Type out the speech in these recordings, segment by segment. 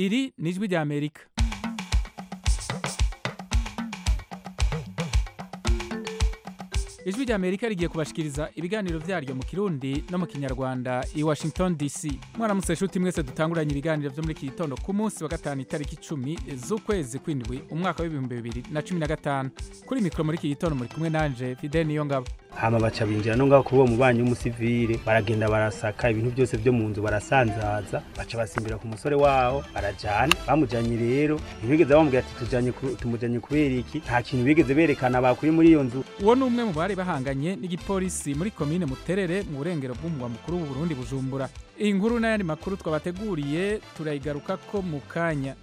Iri ni Ijwi ry'Amerika. Ijwi ry'Amerika rigiye kubashikiriza ibiganiro vyaryo mu Kirundi no mu Kinyarwanda i Washington DC. Mwaramutse nshuti mwese dutanguranye ibiganiro vyo muri iki gitondo ku munsi wa gatanu itariki 10 z'ukwezi kw'indwi umwaka w'2015. Kuri mikro muri iki gitondo muri kumwe nanje Fidel Niyongabo. Hama baca binjira no ngaho kuri uwo mubanyi w'umusivile, baragenda barasaka ibintu byose byo mu nzu barasanzaza, baca basimbira ku musore waho barajana. Bamujanye rero ntibigeze bamubwira ati tujanye tumujanye kubera iki, nta kintu bigeze berekana bakuye muri iyo nzu. Uwo ni umwe mu bari bahanganye n'igipolisi muri komine Muterere mu burengero bw'umugwa mukuru w'u Burundi Bujumbura. Iyi nkuru n'ayandi makuru twabateguriye turayigarukako mu kanya.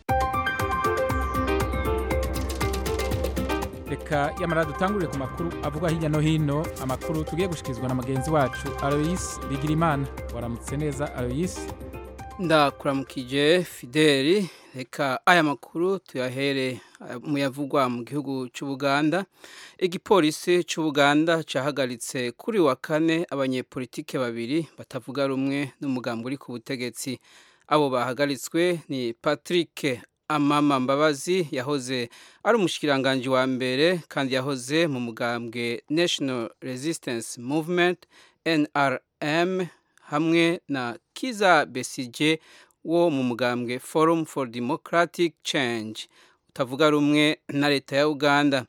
Reka yamara dutangurire ku makuru avugwa hirya no hino, amakuru tugiye gushikirizwa na mugenzi wacu Alois Bigirimana. Waramutse neza Alois? Ndakuramukije Fideli. Reka aya makuru tuyahere muyavugwa mu gihugu cy'Ubuganda. Igipolisi cy'Ubuganda cahagaritse kuri wa kane abanyepolitike babiri batavuga rumwe n'umugambi uri ku butegetsi. Abo bahagaritswe ni Patrick Amama Mbabazi yahoze ari umushikiranganji wa mbere kandi yahoze mu mugambwe National Resistance Movement NRM, hamwe na Kiza Besigye wo mu mugambwe Forum for Democratic Change utavuga rumwe na leta ya Uganda.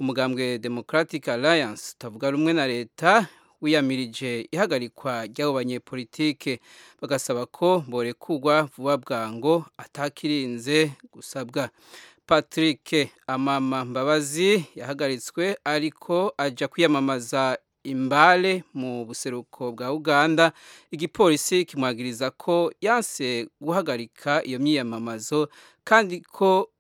Umugambwe Democratic Alliance utavuga rumwe na leta wiyamirije ihagarikwa ry'abo banyepolitike, bagasaba ko borekurwa vuba bwango atakirinze gusabwa. Patrick Amama Mbabazi yahagaritswe ariko aja kwiyamamaza Imbale mu buseruko bwa Uganda. Igipolisi kimwagiriza ko yanse guhagarika iyo myiyamamazo kandi ko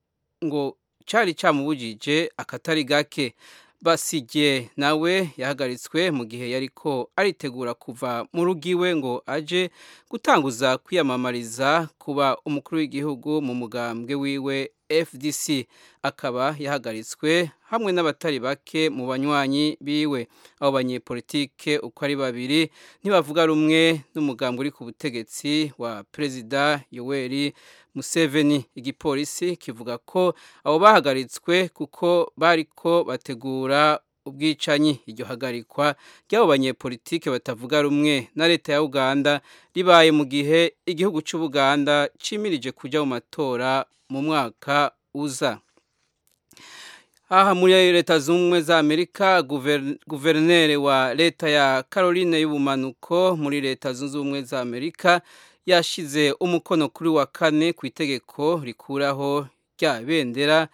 ngo cari camubujije akatari gake. Basige nawe yahagaritswe mu gihe yariko aritegura kuva mu rugo iwe ngo aje gutanguza kwiyamamariza kuba umukuru w'igihugu mu mugambwe wiwe FDC, akaba yahagaritswe hamwe n'abatari bake mu banywanyi biwe. Abo banyepolitike uko ari babiri ntibavuga rumwe n'umugambwe uri ku butegetsi wa Perezida Yoweri Museveni. Igipolisi kivuga ko abo bahagaritswe kuko bariko bategura ubwicanyi. Iryo hagarikwa ry'abo banyepolitike batavuga rumwe na leta ya Uganda ribaye mu gihe igihugu cy'Ubuganda cimirije kuja mu matora mu mwaka uza. Aha muri leta z'ubumwe za Amerika, guverineri wa leta ya Caroline y'ubumanuko muri leta zunze ubumwe za Amerika yashize umukono kuri wa kane ku itegeko rikuraho rya bendera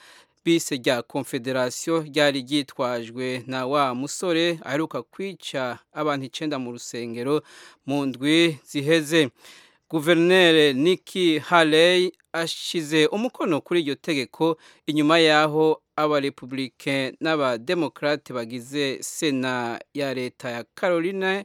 bise rya Confederation ryari ryitwajwe na wa musore aheruka kwica abantu 9 mu rusengero mu ndwi ziheze. Guverineri Nikki Haley ashize umukono kuri iryo tegeko inyuma yaho abarepublike n'abademokrate bagize sena ya leta ya Carolina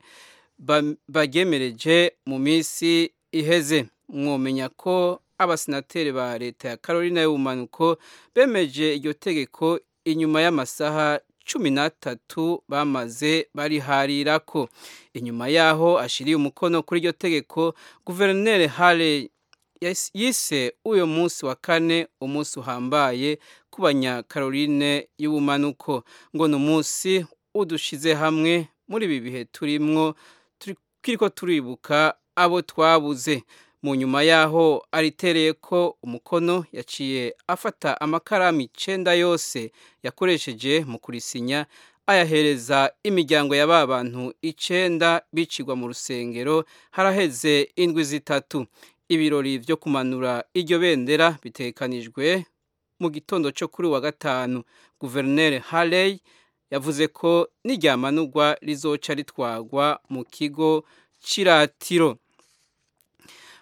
bagemereje mu minsi iheze. Mwomenya ko abasenateri ba leta ya Carolina y'ubumanuko bemeje iryo tegeko inyuma y'amasaha 13 bamaze bariharirako. Inyuma yaho ashiriye umukono kuri iryo tegeko, guverineri Haley yise uyo munsi wa kane umunsi uhambaye ku banya Caroline y'ubumanuko, ngo ni umunsi udushize hamwe muri ibi bihe turimwo kiriko turibuka abo twabuze. Mu nyuma yaho aritereye ko umukono, yaciye afata amakaramu 9 yose yakoresheje mu kurisinya ayahereza imiryango ya ba bantu 9 bicirwa mu rusengero haraheze indwi 3. Ibirori vyo kumanura iryo bendera bitegekanijwe mu gitondo cyo kuri wa gatanu. Guverineri Haley yavuze ko niryamanurwa rizoca ritwagwa mu kigo c'iratiro.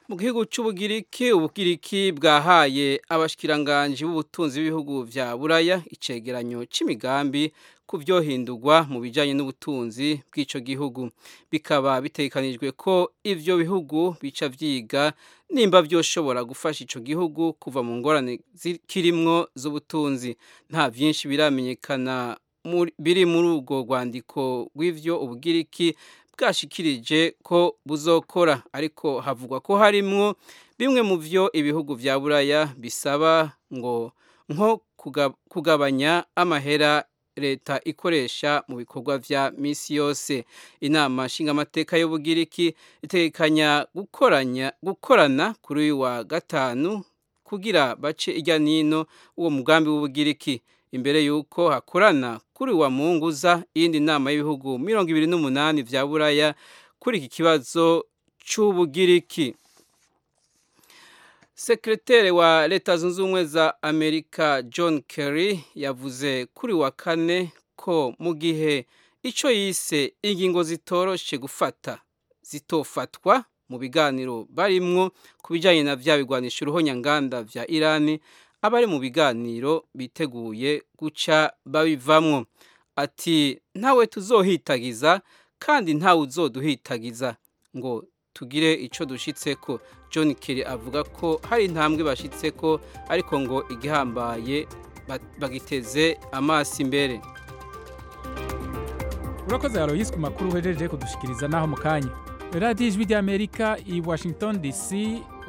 Mu gihugu c'Ubugiriki, Ubugiriki bwahaye abashikiranganji b'ubutunzi b'ibihugu vya Buraya icegeranyo c'imigambi ku vyohindurwa mu bijanye n'ubutunzi bw'ico gihugu. Bikaba bitegekanijwe ko ivyo bihugu bica vyiga nimba vyoshobora gufasha ico gihugu kuva mu ngorane kirimwo z'ubutunzi. Nta vyinshi biramenyekana biri muri urwo rwandiko rw'ivyo Ubugiriki bwashikirije ko buzokora, ariko havugwa ko harimwo bimwe mu vyo ibihugu vya Buraya bisaba ngo nko kugabanya amahera leta ikoresha mu bikorwa vya misi yose. Inama nshingamateka y'Ubugiriki itegekanya gukorana kuri uyu wa gatanu kugira bace irya nino uwo mugambi w'Ubugiriki, imbere yuko hakorana kuri wa Munguza iyindi nama y'ibihugu 28 vya Buraya kuri iki kibazo c'Ubugiriki. Sekretere wa Leta Zunze Ubumwe za Amerika John Kerry yavuze kuri wa kane ko mu gihe ico yise ingingo zitoroshe gufata zitofatwa mu biganiro barimwo ku bijanye na vya bigwanisha uruhonyanganda vya Irani, abari mu biganiro biteguye guca babivamwo. Ati ntawe tuzohitagiza kandi ntawe uzoduhitagiza ngo tugire ico dushitseko. John Kerry avuga ko hari intambwe bashitseko, ariko ngo igihambaye bagiteze amaso imbere. Urakoze Aloysi ku makuru uhejeje kudushikiriza naho mu kanya. Radiyo Ijwi ry'Amerika i Washington DC,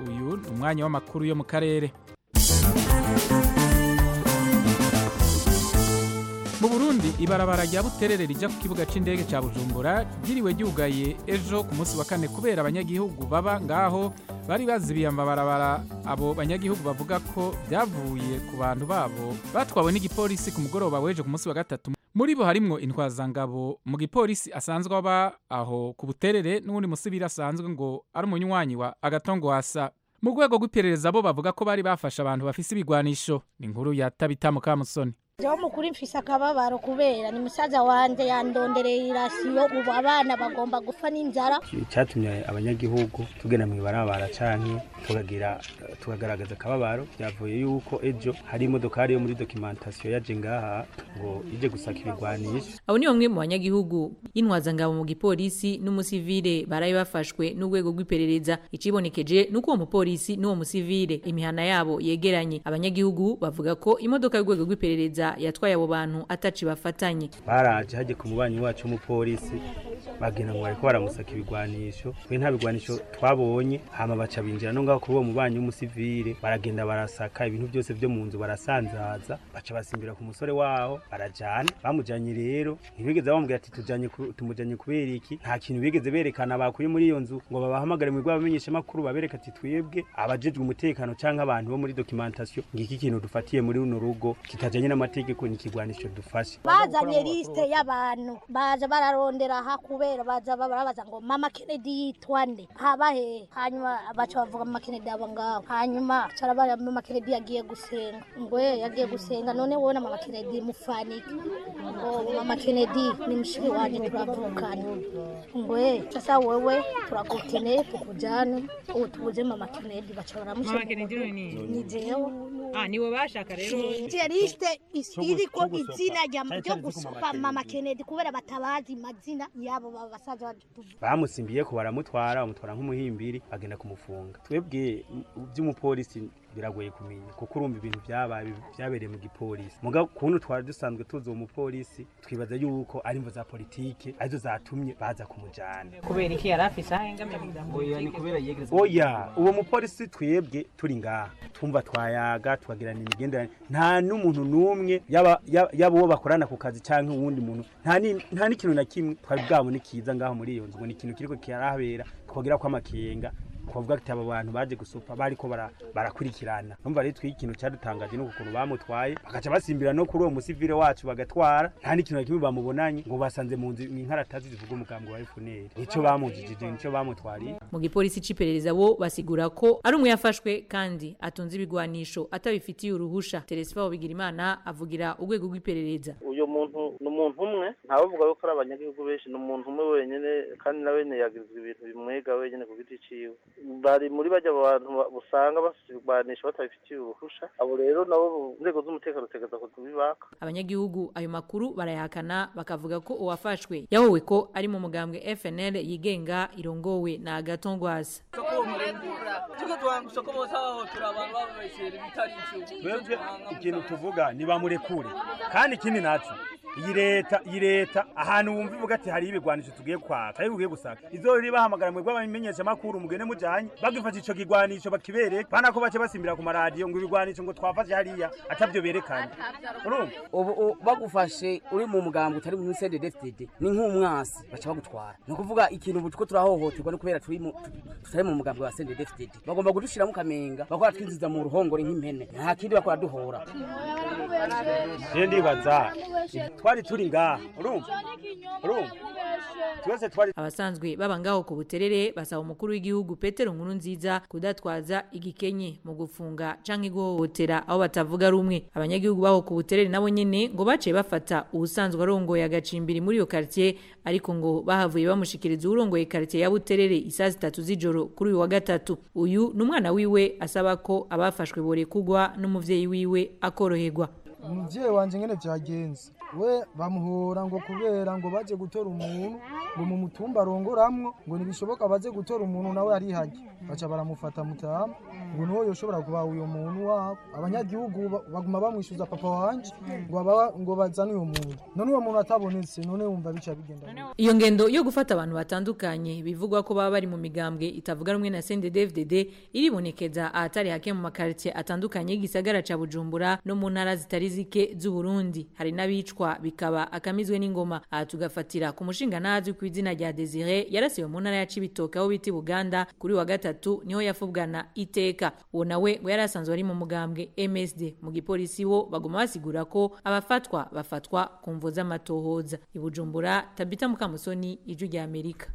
uyu ni umwanya w'amakuru yo mu karere. Mu Burundi ibarabara rya Buterere rija ku kibuga c'indege ca Bujumbura ryiriwe ryugaye ejo ku munsi wa kane kubera abanyagihugu baba ngaho bari bazibiye amabarabara. Abo banyagihugu bavuga ko vyavuye ku bantu babo batwawe n'igipolisi ku mugoroba w'ejo ku munsi wa gatatu. Muri bo harimwo intwazangabo mu gipolisi asanzwe aba aho ku Buterere n'uwundi musivili asanzwe ngo ari umunywanyi wa Agatongwasa. Mu rwego rw'iperereza bo bavuga ko bari bafashe abantu bafise ibigwanisho. Ni inkuru ya Tabita Mukamusoni. Jewe mukuri mfise akababaro kubera ni musaza wanje yandondereye irasiyo, ubu abana bagomba gupfa n'inzara. Icyatumye abanyagihugu tugenda mw'ibarabara canke tukagira tukagaragaza akababaro byavuye yuko ejo hari imodokari yo muri documentation yaje ngaha ngo ije gusaka ibigwanisho. Abo ni bamwe mu banyagihugu y'intwazangabo mu gipolisi n'umusivile baraye bafashwe n'urwego rw'iperereza. Icibonekeje nuko uwo mupolisi n'uwo musivile imihana yabo yegeranye. Abanyagihugu bavuga ko imodoka y'urwego rw'iperereza yatwaye abo bantu ataci bafatanye. Baraje haje ku mubanyi wacu w'umupolisi bagenda ngo bariko baramusaka ibigwanisho, twe nta bigwanisho twabonye. Hama baca binjira no ngaho kuri uwo mubanyi w'umusivile baragenda barasaka ibintu byose vyo mu nzu barasanzaza, baca basimbira ku musore waho barajana. Bamujanye rero ntibigeze bamubwira ati tujanye tumujanye kubera iki, nta kintu bigeze berekana bakuye muri iyo nzu ngo babahamagare mu rw'abamenyesha makuru babereka ati twebwe abajejwe umutekano canke abantu bo muri documentation ngiki kintu dufatiye muri runo rugo kitajanye n'amategeko ni ikigwanisho dufashe. Bazanye liste y'abantu baza bararondera aha kubera baza barabaza ngo Mama Kennedy yitwa nde, haba he? Hanyuma baca bavuga Mama Kennedy aba ngaho. Hanyuma carabara Mama Kennedy yagiye gusenga, ngo yagiye gusenga, none wowe na Mama Kennedy mufanike? Ngo Mama Kennedy ni mushiki wanje turavukana. Ngo sasa wewe turagukeneye tukujane utubuze Mama Kennedy. Baca baramusha Mama Kennedy ni jewe. Ah, niwe bashaka rero. Liste iriko izina ryo gusopa Mama Kennedy kubera batabazi mazina yabo babasaza. Bamusimbiye ko baramutwara, bamutwara nk'umuhimbiri bagenda kumufunga. Twebwe by'umupolisi biragoye kumenya kuko urumva ibintu byabaye byabereye mu gipolisi. Muga kuntu twari dusanzwe tuzi uwo mupolisi twibaza yuko ari imvo za politike arizo zatumye baza kumujana. Kubera iki yari afise ahengamye mu Oya, ni kubera yegereza. Oya, uwo mupolisi twebwe turi ngaha tumva twayaga tukagirana imigenderanire, nta n'umuntu n'umwe yaba uwo bakorana ku kazi canke uwundi muntu, nta n'ikintu na kimwe twari bwabone kiza ngaho muri iyo nzu ngo ni ikintu kiriko kirahabera twogira ko amakenga twavuga ati aba bantu baje gusopa bariko barakurikirana. Numva rero twi ikintu cyadutangaje nuko ukuntu bamutwaye bakaca basimbira no kuri uwo musivile wacu bagatwara, nta n'ikintu na kimwe bamubonanye ngo basanze mu nzu inkaratazi zivuga umugambi wa FNL, nico bamujijije nico bamutwariye. Mu gipolisi c'iperereza bo basigura ko ari umwe yafashwe kandi atunze ibigwanisho atabifitiye uruhusha. Terespa Bigirimana avugira urwego rw'iperereza. Uyo muntu ni umuntu umwe, ntabavuga ko ari abanyagihugu benshi, ni umuntu umwe wenyene kandi na wene yagirizwa ibintu bimwega wenyene ku giti ciwe. Bari muri bajya abantu usanga basirwanisha batabifitiye uruhusha, abo rero nabo inzego z'umutekano tegeza kubibaka. Abanyagihugu ayo makuru barayahakana bakavuga ko uwafashwe yahowe ko ari mu mugambwe FNL yigenga irongowe na Agatongwasa. Twebwe ikintu tuvuga ni bamurekure, kandi ikindi naco Iyi leta ahantu wumva ivuga ati hari ibigwanisho tugiye kwaka, ari ugiye gusaka. Izo riri bahamagara mwebwe abamenyesha makuru mugene mujanye, bagifashe ico kigwanisho bakibereka, bana ko bace basimbira ku maradiyo ngo ibigwanisho ngo twafashe hariya atavyo berekanye. Urumva? Ubu bagufashe uri mu mugambo utari mu CNDD-FDD ni nk'umwasi baca bagutwara. Ni ukuvuga ikintu ubu two turahohoterwa no kubera turi tutari mu mugambo wa CNDD-FDD. Bagomba kudushira mu kamenga, bakora twinjiza mu ruhongore nk'impene. Nta kindi bakora duhora. Je ndibaza twari turi ngaha, urumva? Urumva? Twese twari abasanzwe baba ngaho ku Buterere basaba umukuru w'igihugu Petero Nkurunziza kudatwaza igikenye mu gufunga canke guhohotera aho batavuga rumwe. Abanyagihugu baho ku Buterere nabo nyene ngo baciye bafata ubusanzwe arongoye agacimbiri muri iyo quartier, ariko ngo bahavuye bamushikiriza urongoye quartier ya Buterere isaha 3 z'ijoro kuri uyu wa gatatu. Uyu n'umwana wiwe asaba ko abafashwe borekugwa n'umuvyeyi wiwe akoroherwa. Umuvyeyi wanje ngene vyagenze, we bamuhora ngo kubera ngo baje gutora umuntu ngo mu mutumba arongoramwo, ngo ntibishoboka baze gutora umuntu nawe ari hajye, baca baramufata mutama ngo niho yoshobora kuba uyo muntu wabo. Abanyagihugu baguma bamwishuza papa wanje ngo bazane uyo muntu, none uwo muntu atabonetse, none wumva bica bigenda. Iyo ngendo yo gufata abantu batandukanye bivugwa ko baba bari mu migambwe itavuga rumwe na CNDD-FDD iribonekeza ahatari hake mu makartie atandukanye y'igisagara ca Bujumbura no mu ntara zitari zike z'u Burundi. Hari n'abicwa bikaba akamizwe n'ingoma. Aha tugafatira ku mushinga ntazwi ku izina rya Desire yarasiwe mu ntara ya Cibitoke aho bita Buganda kuri wa gatatu, niho yafubwana iteka. Uwo nawe ngo yari asanzwe ari mu mugambwe MSD. Mu gipolisi bo baguma basigura ko abafatwa bafatwa ku mvo z'amatohoza. I Bujumbura, Tabita Mukamusoni, Ijwi rya Amerika.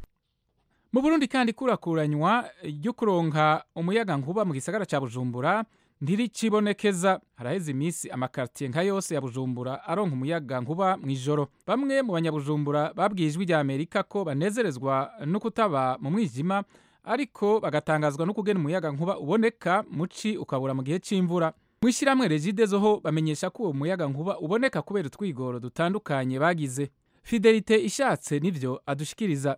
Mu Burundi kandi kurakuranywa ryo kuronka umuyaga nkuba mu gisagara ca Bujumbura ntiricibonekeza. Haraheze iminsi amakartier nka yose ya Bujumbura aronka umuyaga nkuba mw'ijoro. Bamwe mu banyabujumbura babwiye Ijwi rya Amerika ko banezerezwa no kutaba mu mwijima, ariko bagatangazwa no kugena umuyaga nkuba uboneka muci ukabura mu gihe c'imvura. Mw'ishyirahamwe Regideso ho bamenyesha ko uwo muyaga nkuba uboneka kubera utwigoro dutandukanye bagize. Fidelite Ishatse nivyo adushikiriza.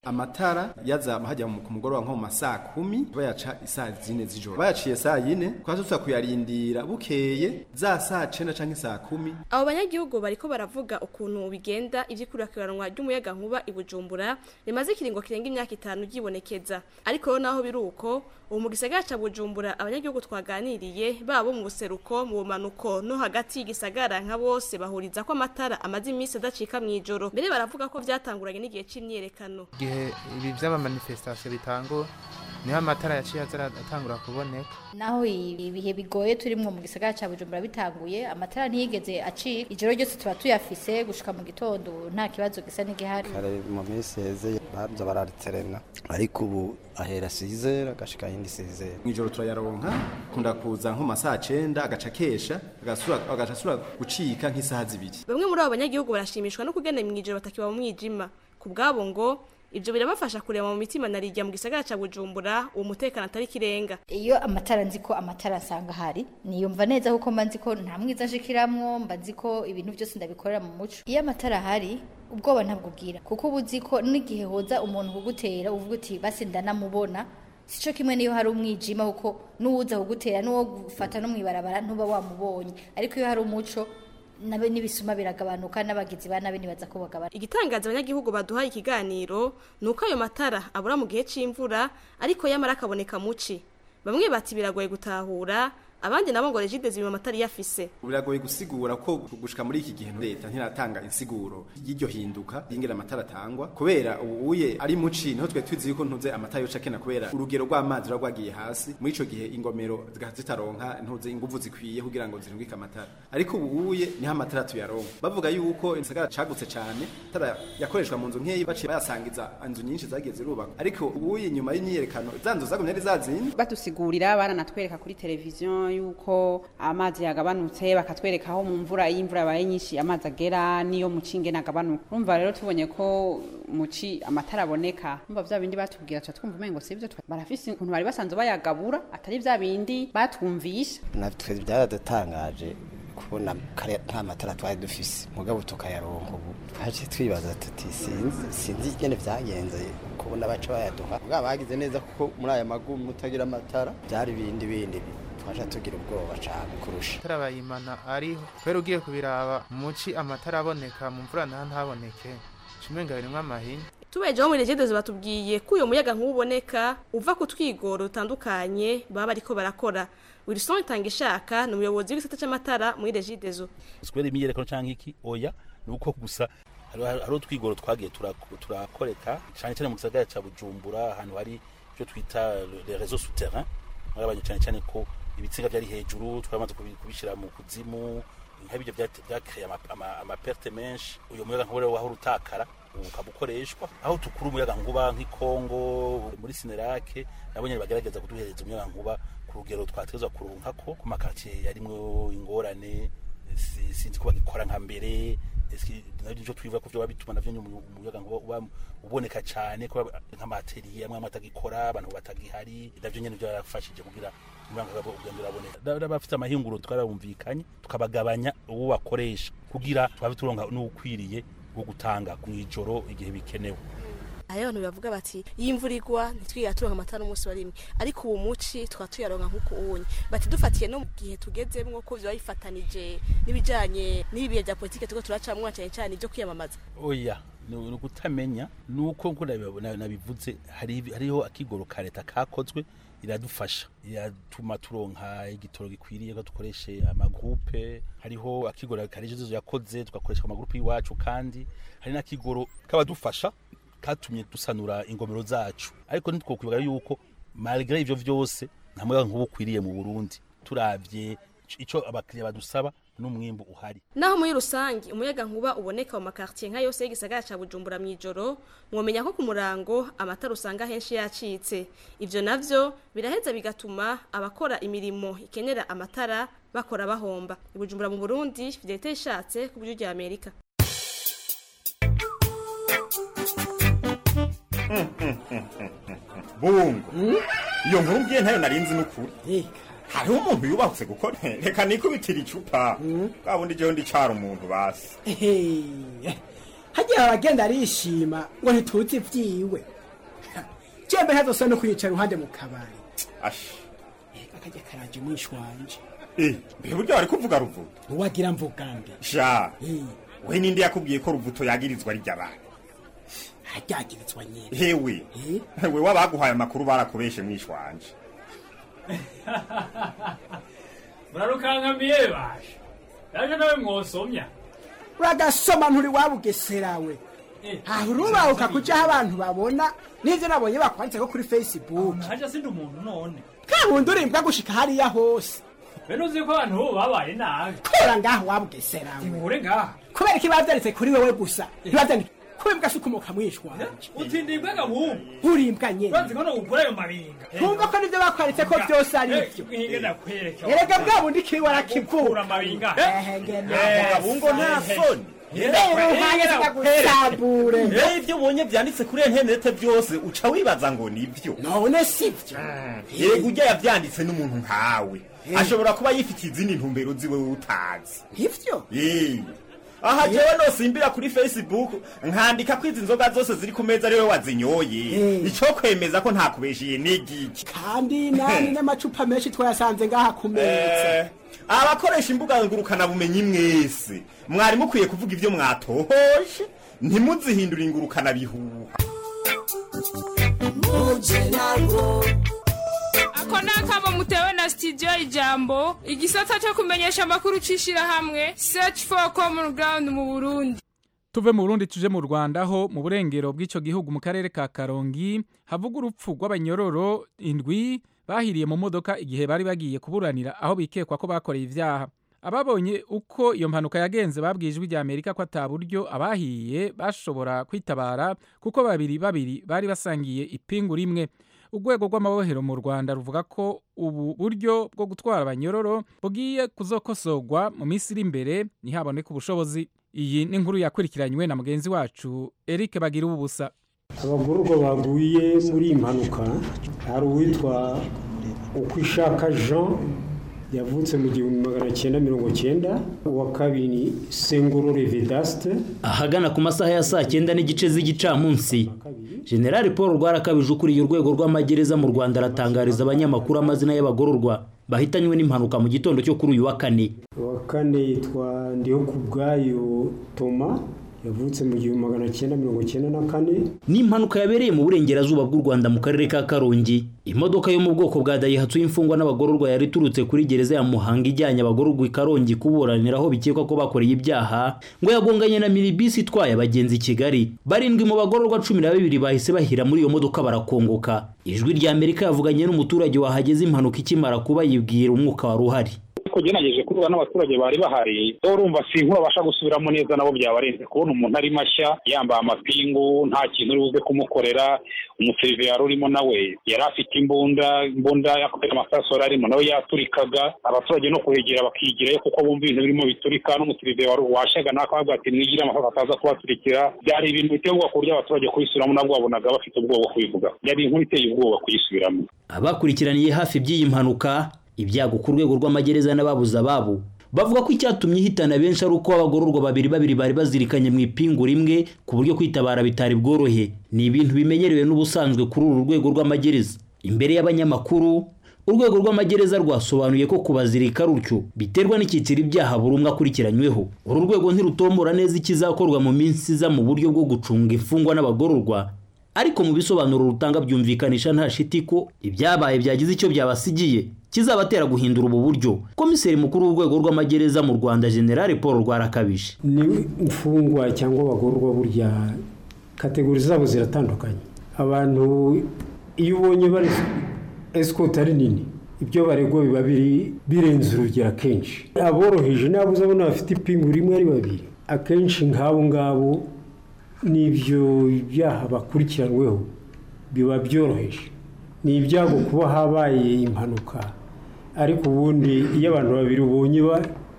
Amatara yaza hajya ku mugoroba nko mu masaa 10 bayaca isaa 4 z'ijoro, bayaciye saa 4 twasusa kuyarindira bukeye za saa 9 canke saa 10. Abo banyagihugu bariko baravuga ukuntu bigenda ivyikurakiranwa ry'umuyaga nkuba i Bujumbura rimaze ikiringo kirenga imyaka 5 ryibonekeza, ariko naho biruko ubu mu gisagara ca Bujumbura abanyagihugu twaganiriye babo mu buseruko, mu bumanuko no hagati y'igisagara nka bose bahuriza ko amatara amaze iminsi adacika mw'ijoro. Mbere baravuga ko vyatanguranye n'igihe c'imyiyerekano. Igihe ibi vy'abamanifestation bitangura niho amatara yaciye atangura kuboneka. Naho ibihe bigoye turimwo mu gisagara ca Bujumbura bitanguye, amatara ntiyigeze acika, ijoro ryose tuba tuyafise gushika mu gitondo, nta kibazo gisa n'igihari. Kare mu minsi heze baza barariterena, ariko ubu ahera sizera agashika yindi sizera. Mw'ijoro turayaronka, kunda kuza nko masaha 9 agaca kesha agaca asura gucika nk'isaha 2. Bamwe muri abo banyagihugu barashimishwa no kugenda mw'ijoro batakiba mu mwijima. Ku bwabo ngo ibyo birabafasha kureba mu mitima narijya mu gisagara ca Bujumbura uwo mutekano atari kirenga. Iyo amatara nzi ko amatara nsanga hari, niyumva neza kuko mba nzi ko nta mwiza nshikiramwo, mba nzi ko ibintu byose ndabikorera mu muco. Iyo amatara ahari ubwoba ntabwo ubwira, kuko uba uzi ko n'igihe hoza umuntu kugutera uvuga uti basi ndanamubona. Sico kimwe niyo hari umwijima, kuko n'uwuza kugutera n'uwo gufata no mwibarabara ntuba wamubonye, ariko iyo hari umuco nabe nibisuma biragabanuka n'abagizi ba nabe nibaza ko bagabana. Igitangaza abanyagihugu baduhaye ikiganiro nuko ayo matara abura mu gihe c'imvura ariko yamara akaboneka muci. Bamwe bati biragoye gutahura, abandi nabo ngo Regideso bima amatara yafise. Biragoye gusigura ko gushika muri iki gihe leta ntiratanga insiguro y'iryo hinduka y'ingera amatara atangwa, kubera ubu uye ari muci niho twe tuzi yuko ntuze amatara yoca kena kubera urugero rw'amazi rwagwagiye hasi. Muri ico gihe ingomero zitaronka ntuze inguvu zikwiye kugira ngo zirungike amatara, ariko ubu uye niho amatara tuyaronka. Bavuga yuko igisagara cagutse cane, amatara yakoreshwa mu nzu nkeyi baciye bayasangiza inzu nyinshi zagiye zirubakwa, ariko ubu uye nyuma y'imyiyerekano za nzu zagumye ari zazindi. Batusigurira baranatwereka kuri televiziyo yuko amazi yagabanutse, bakatwereka aho mu mvura y'imvura yabaye nyinshi amazi agera niyo muci ngene agabanuka. Urumva rero tubonye ko muci amatara aboneka, urumva vya bindi batubwira tuca twumva umengo sivyo, barafise ukuntu bari basanzwe bayagabura atari vya bindi batwumvisha. Natwe byaradutangaje kubona kare nta matara twari dufise, mugabo tukayaronka ubu. Twaje twibaza tuti sinzi ingene vyagenze kubona baca bayaduha. Mugabo bagize neza kuko muri aya magumu mutagira amatara byari bindi bindi Twaca tugira ubwoba cane kurusha. Amatara bayimana ariho kubera ugiye kubiraba muci amatara aboneka mu mvura naho ntaboneke, umenga birimwo amahinya. Tubejeho muri Regideso batubwiye ko uyo muyaga nk'uboneka uva ku twigoro dutandukanye baba bariko barakora. Wilson Itangishaka ni umuyobozi w'igisata c'amatara muri Regideso. Kubera imyiyerekano canke iki, oya, ni uko gusa hariho utwigoro twagiye turakoreka cane cane mu gisagara ca Bujumbura, ahantu hari ivyo twita les réseaux souterrains. Mwabanye cane cane ko ibitsinga vyari hejuru twamaze kubishira mu kuzimu, nk'ibyo vyakreye amaperte menshi. Uyo muyaga nkuba rero wahora utakara ubu ukaba ukoreshwa aho tukura umuyaga nkuba nk'i Kongo muri Sinerake, nabo nyene bagerageza kuduhereza umuyaga nkuba ku rugero twategerezwa kuronkako. Ku makartier yarimwo ingorane, sinzi ko bagikora nka mbere, navyo twivuga ko vyoba bituma navyo umuyaga nkuba uba uboneka cane, ko nk'amateriye amwe amwe atagikora, abantu batagihari, navyo nyene vyarafashije kugira umuyaga nkuba ugenda uraboneka. N'abafite amahinguro twarabumvikanye, tukabagabanya uwo bakoresha kugira twabe turonka n'ukwiriye wo gutanga mw'ijoro igihe bikenewe. Hariho abantu bavuga bati iyo imvura igwa ntitwiga turonka amatara umunsi wa rimwe, ariko ubu muci tukaba tuyaronka nk'uko ubonye. Bati dufatiye no mu gihe tugezemwo ko vyoba bifatanije n'ibijanye n'ibi bihe vya politike turiko turacamwo, cane cane ivyo kwiyamamaza. Oya, ni ukutamenya, nuko nko nabivuze, hariho akigoro ka leta kakozwe, iradufasha, iratuma turonka igitoro gikwiriye ko dukoreshe amagroupe. Hariho akigoro ka Regideso yakoze, tugakoresha amagroupe y'iwacu, kandi hari n'akigoro kabadufasha katumye dusanura ingomero zacu. Ariko ntitwokwibaga yuko malgré ivyo vyose nta muyaga nkuba ukwiriye mu Burundi, turavye ico abakiriya badusaba n'umwimbu uhari. Naho muri rusangi umuyaga nkuba uboneka mu makartier nka yose y'igisagara ca Bujumbura mw'ijoro, mwomenya ko ku murango amatara usanga henshi yacitse. Ivyo navyo biraheza bigatuma abakora imirimo ikenera amatara bakora bahomba. I Bujumbura mu Burundi, Fidelite Ishatse ku buryo rya Amerika. Bungo, iyo nkuru mbwiye ntayo narinzi n'ukuri. Hariho umuntu yubahutse gukora, reka nikubitira icupa bwa bundi jewe ndicara umuntu basi. Hagiye abagenda arishima ngo ntituzi ivyiwe, jembe ntazosa no kwicara iruhande mu kabari. Ashi akajya karaje umwishi wanje. Mbe buryo wari kuvuga Ruvuto? Uwagira mvugambe sha, we ninde yakubwiye ko Ruvuto yagirizwa rirya bantu? Aryagirizwa nyene. Hewe, we wabaguhaye amakuru barakubeshe mwishi wanje. Murarukankamiye basha, naje nawe mwosomya. Uragasoma nturi wabugeserawe. Aho urubahuka kujaho abantu babona n'ivyo nabonye bakwanditseko kuri Facebook. Haja sindi umuntu none. Kabundi urimbwa gushika hariya hose. Bene uzi ko abantu ubu babaye nabi. Kora ngaho wabugeserawe. Inkure ngaha. Kubera iki bavyanditse kuri wewe gusa? Ntibavyanditse kubera se ukomoka mwishwa wanje. Utindi imbwa bubu. Urimbwa nyene. Urazi ko no gukura ayo mabinga. Ntumva ko nivyo bakwanditse ko vyose ari ivyo. Hinge ndakwereka. Erega bwa bundi kiwe warakivuka. Amabinga. Bungo nta soni. Rero ivyo ubonye vyanditse kuri interinete vyose uca wibaza ngo nivyo. None sivyo. Yego urya yavyanditse n'umuntu nkawe. Ashobora kuba yifitiye izindi ntumbero ziwe utazi. Ivyo? Aha jewe nosimbira kuri Facebook nkandika ko izi nzoga zose ziri ku meza ariwe wazinyoye. Ico kwemeza ko ntakubeshiye n'igiki. Kandi nani n'amacupa menshi twayasanze ngaha ku meza. Abakoresha imbuga ngurukana bumenyi mwese mwari mukwiye kuvuga ivyo mwatohoje, ntimuzihindure ingurukana bihuha. Ako ni akamo mutewe na studio Ijambo, igisata cyo kumenyesha amakuru c'ishirahamwe Search for Common Ground mu Burundi. Tuve mu Burundi tuje mu Rwanda, ho mu burengero bw'ico gihugu mu karere ka Karongi havuga urupfu rw'abanyororo 7 bahiriye mu modoka igihe bari bagiye kuburanira aho bikekwa ko bakoreye ivyaha. Ababonye uko iyo mpanuka yagenze babwiye Ijwi rya Amerika ko ata buryo abahiye bashobora kwitabara, kuko babiri babiri bari basangiye ipingu rimwe. Urwego rw'amabohero mu Rwanda ruvuga ko ubu buryo bwo gutwara abanyororo bugiye kuzokosorwa mu minsi iri imbere ntihaboneke ubushobozi. Iyi ni inkuru yakurikiranywe na mugenzi wacu Eric Bagira ubusa. Abagororwa baguye muri iyi mpanuka hari uwitwa Ukwishaka Jean yavutse mu 1990, uwa kabiri ni Sengorore Vedaste. Ahagana ku masaha ya saa 9:30 z'igicamunsi, General Paul Rwarakabije ukuriye urwego rw'amagereza mu Rwanda aratangariza abanyamakuru amazina y'abagororwa Bahitanywe n'impanuka mu gitondo cyo kuri uyu wa kane. Uwa kane yitwa Ndihokubwayo Toma, yavutse mu 1994. Ni impanuka yabereye mu burengerazuba bw'u Rwanda mu karere ka Karongi. Imodoka yo mu bwoko bwa Daihatsu y'imfungwa n'abagororwa yari iturutse kuri gereza ya Muhanga ijyanye abagororwa i Karongi kuburaniraho bikekwa ko bakoreye ibyaha, ngo yagonganye na minibisi itwaye abagenzi i Kigali. 7 mu bagororwa 12 bahise bahira muri iyo modoka barakongoka. Ijwi rya Amerika yavuganye n'umuturage wahageze impanuka ikimara kuba, yibwira umwuka wari uhari. Ugerageje kuvuga n'abaturage bari bahari, urumva si inkuru babasha gusubiramo neza, nabo byabarenze kubona umuntu ari mashya yambaye amapingu, nta kintu uri buze kumukorera. Umuserive yari urimo nawe yari afite imbunda yakoze amasasu yari arimo nawe yaturikaga. Abaturage no kuhegera bakigirayo kuko bumva ibintu birimo biturika, n'umuserive washyaga nawe akavuga ati mwigire amasasu ataza kubaturikira. Byari ibintu biteye ubwoba ku buryo abaturage kubisubiramo nabwo babonaga bafite ubwoba bwo kubivuga. Yari inkuru iteye ubwoba kuyisubiramo. Abakurikiraniye hafi by'iyi mpanuka, ibyago ku rwego rw'amagereza n'ababuze ababo, bavuga ko icyatumye ihitana benshi ari uko abagororwa babiri babiri bari bazirikanye mu ipingu rimwe, ku buryo kwitabara bitari bworohe. Ni ibintu bimenyerewe n'ubusanzwe kuri uru rwego rw'amagereza. Imbere y'abanyamakuru, urwego rw'amagereza rwasobanuye ko kubazirika rutyo biterwa n'icyiciro ibyaha buri umwe akurikiranyweho. Uru rwego ntirutombora neza ikizakorwa mu minsi iza mu buryo bwo gucunga imfungwa n'abagororwa, ariko mu bisobanuro rutanga byumvikanisha nta shiti ko ibyabaye byagize icyo byabasigiye kizabatera guhindura ubu buryo. Komiseri mukuru w'urwego rw'amagereza mu Rwanda, General Paul Rwarakabije: ni imfungwa cyangwa abagororwa, burya kategori zabo ziratandukanye. Abantu iyo ubonye bari escort ari nini, ibyo baregwa biba birenze urugero akenshi. Aboroheje nabo uzabona bafite ipingu rimwe ari babiri, akenshi nk'abo ngabo n'ibyo byaha bakurikiranweho biba byoroheje. Ni ibyago kuba habaye impanuka, ariko ubundi iyo abantu babiri ubonye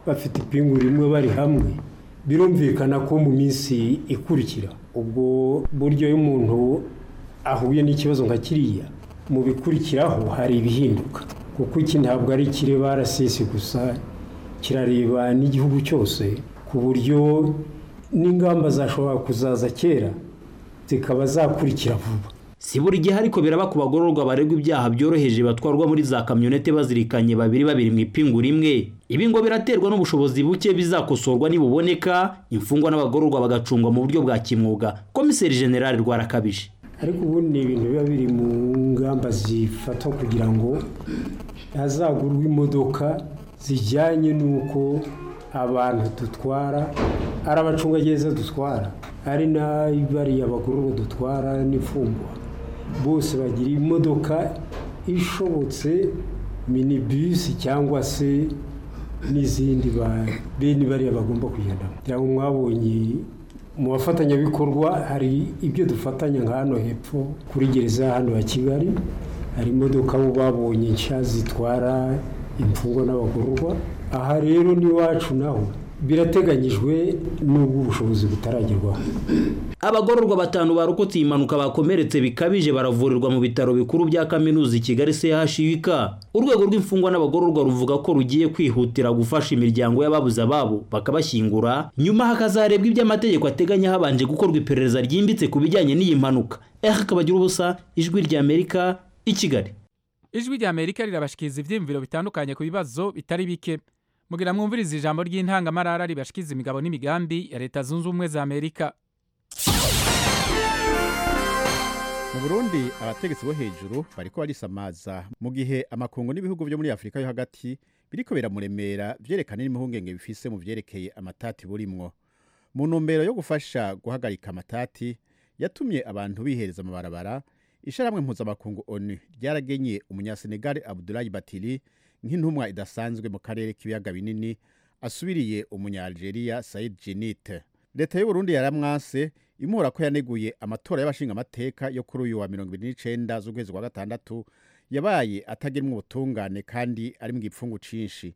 bafite ipingu rimwe bari hamwe, birumvikana ko mu minsi ikurikira ubwo buryo iyo umuntu ahuye n'ikibazo nka kiriya, mu bikurikiraho hari ibihinduka, kuko iki ntabwo ari ikireba RCS gusa, kirareba n'igihugu cyose, ku buryo n'ingamba zashobora kuzaza kera zikaba zakurikira vuba. Si buri gihe ariko biraba ku bagororwa baregwa ibyaha byoroheje batwarwa muri za kamyonete bazirikanye babiri babiri mu ipingu rimwe. Ibi ngo biraterwa n'ubushobozi buke bizakosorwa nibuboneka, imfungwa n'abagororwa bagacungwa mu buryo bwa kimwuga. Komiseri General Rwarakabije: ariko ubundi ni ibintu biba biri mu ngamba zifatwa kugira ngo hazagurwe imodoka zijyanye n'uko abantu dutwara, ari abacungagereza dutwara, ari n'abariya bagororwa dutwara n'imfungwa, bose bagira imodoka ishobotse, minibisi cyangwa se n'izindi bene bariya bagomba kugendamo. Kugira ngo mwabonye mu bafatanyabikorwa hari ibyo dufatanya nka hano hepfo kuri gereza hano ya Kigali, hari imodoka bo babonye nshya zitwara imfungwa n'abagororwa. Aha rero n'iwacu naho birateganyijwe n'ubwo ubushobozi butaragerwaho. Abagororwa 5 barokotse iyi mpanuka bakomeretse bikabije baravurirwa mu bitaro bikuru bya kaminuza i Kigali CHUK. Urwego rw'imfungwa n'abagororwa ruvuga ko rugiye kwihutira gufasha imiryango y'ababuze ababo bakabashyingura, nyuma hakazarebwa iby'amategeko ateganya habanje gukorwa iperereza ryimbitse ku bijyanye n'iyi mpanuka. Eric Kabagirubusa, Ijwi rya Amerika, i Kigali. Ijwi rya Amerika rirabashikiza ivyiyumviro bitandukanye ku bibazo bitari bike. Mugira mwumvirize ijambo ry'intangamarara ribashikiza imigabo n'imigambi ya Leta Zunze Ubumwe za Amerika. Mu Burundi abategetsi bo hejuru bariko barisamaza mu gihe amakungu n'ibihugu byo muri Afrika yo hagati biriko biramuremera vyerekana n'impungenge bifise mu vyerekeye amatati burimwo. Mu ntumbero yo gufasha guhagarika amatati yatumye abantu bihereza amabarabara, isharamwe mpuzamakungu ONU ryaragenye umunyasenegal Abdoulaye Batili nk'intumwa idasanzwe mu karere k'ibiyaga binini asubiriye umunya-Algeria Said Djinnit. Leta y'u Burundi yaramwase imuhora ko yaneguye amatora y'abashinga amateka yo kuri uyu wa 2029 z'ukwezi kwa gatandatu yabaye atagirimwe ubutungane kandi ari mu gipfungu cinshi.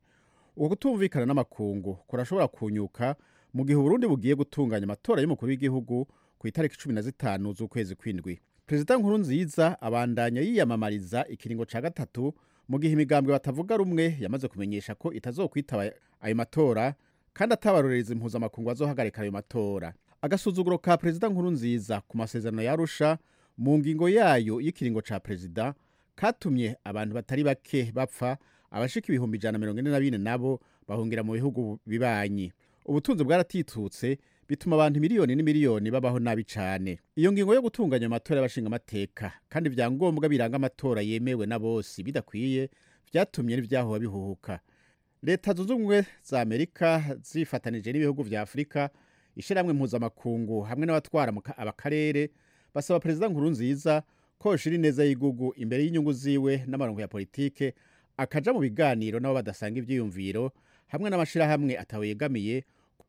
Uko kutumvikana n'amakungu kurashobora kunyuka mu gihe Burundi bugiye gutunganya amatora y'umukuru w'igihugu ku itariki 15 z'ukwezi kw'indwi. Perezida Nkurunziza abandanya yiyamamariza ikiringo ca gatatu mu gihe imigambwe batavuga rumwe yamaze kumenyesha ko itazokwitaba ayo matora kandi atabarorereza impuzamakungu azohagarika ayo matora. Agasuzuguro ka Perezida Nkurunziza ku masezerano ya Arusha mu ngingo yayo y'ikiringo ca perezida katumye abantu batari bake bapfa, Abashika 144,000 nabo bahungira mu bihugu bibanyi. Ubutunzi bwaratitutse bituma abantu miliyoni n'imiliyoni babaho nabi cane. Iyo ngingo yo gutunganya amatora y'abashinga amateka kandi vyangombwa biranga amatora yemewe na bose bidakwiye vyatumye n'ivyahoba bihuhuka. Leta Zunze Ubumwe za Amerika zifatanije n'ibihugu vya Afrika, ishiramwe mpuzamakungu hamwe n'abatwara abakarere basaba Perezida Nkurunziza ko yoshira ineza y'igugu imbere y'inyungu ziwe n'amarongo ya politike, akaja mu biganiro n'abo badasanga ivyiyumviro hamwe n'amashirahamwe atawegamiye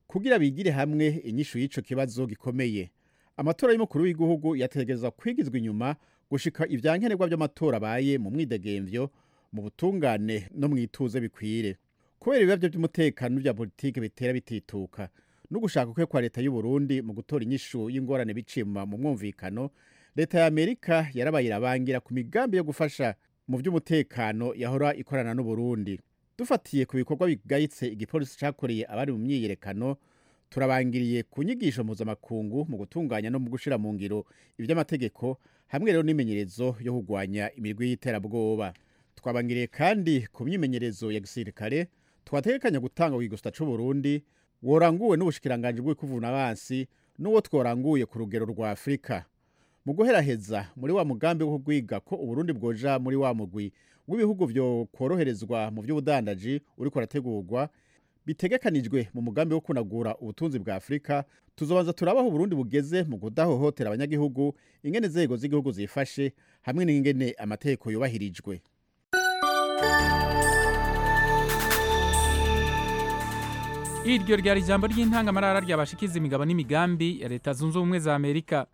kugira bigire hamwe inyishu y'ico kibazo gikomeye. Amatora y'umukuru w'igihugu yategerezwa kwigizwa inyuma gushika ivyankenerwa vy'amatora abaye mu mwidegemvyo, mu butungane no mwituze bikwire. Kubera ibibazo by'umutekano vya politike bitera bitituka no gushaka kwe kwa leta y'u Burundi mu gutora inyishu y'ingorane biciye mu mwumvikano, leta ya Amerika yarabaye irabangira ku migambi yo gufasha mu by'umutekano yahora ikorana n'u Burundi. Dufatiye ku bikorwa bigayitse igipolisi cakoreye abari mu myiyerekano, turabangiriye ku nyigisho mpuzamakungu mu gutunganya no mu gushira mu ngiro ivy'amategeko hamwe rero n'imenyerezo yo kugwanya imirwi y'iterabwoba. Twabangiriye kandi ku myimenyerezo ya gisirikare twategekanya gutanga ku gigusta c'u Burundi woranguwe n'ubushikiranganje bw'ikuvuna abansi n'uwo tworanguye ku rugero rwa Afrika. Mu guheraheza muri wa mugambi wo kugwiga ko Uburundi bwoja muri wa mugwi w'ibihugu vyo kworoherezwa mu vy'ubudandaji uriko urategurwa bitegekanijwe mu mugambi wo kunagura ubutunzi bwa Afrika, tuzobanza turabaho Uburundi bugeze mu kudahohotera abanyagihugu, ingene inzego z'igihugu zifashe hamwe n'ingene amategeko yubahirijwe. Iryo ryari ijambo ry'intangamarara ryabashikiza imigabo n'imigambi ya Leta Zunze Ubumwe za Amerika.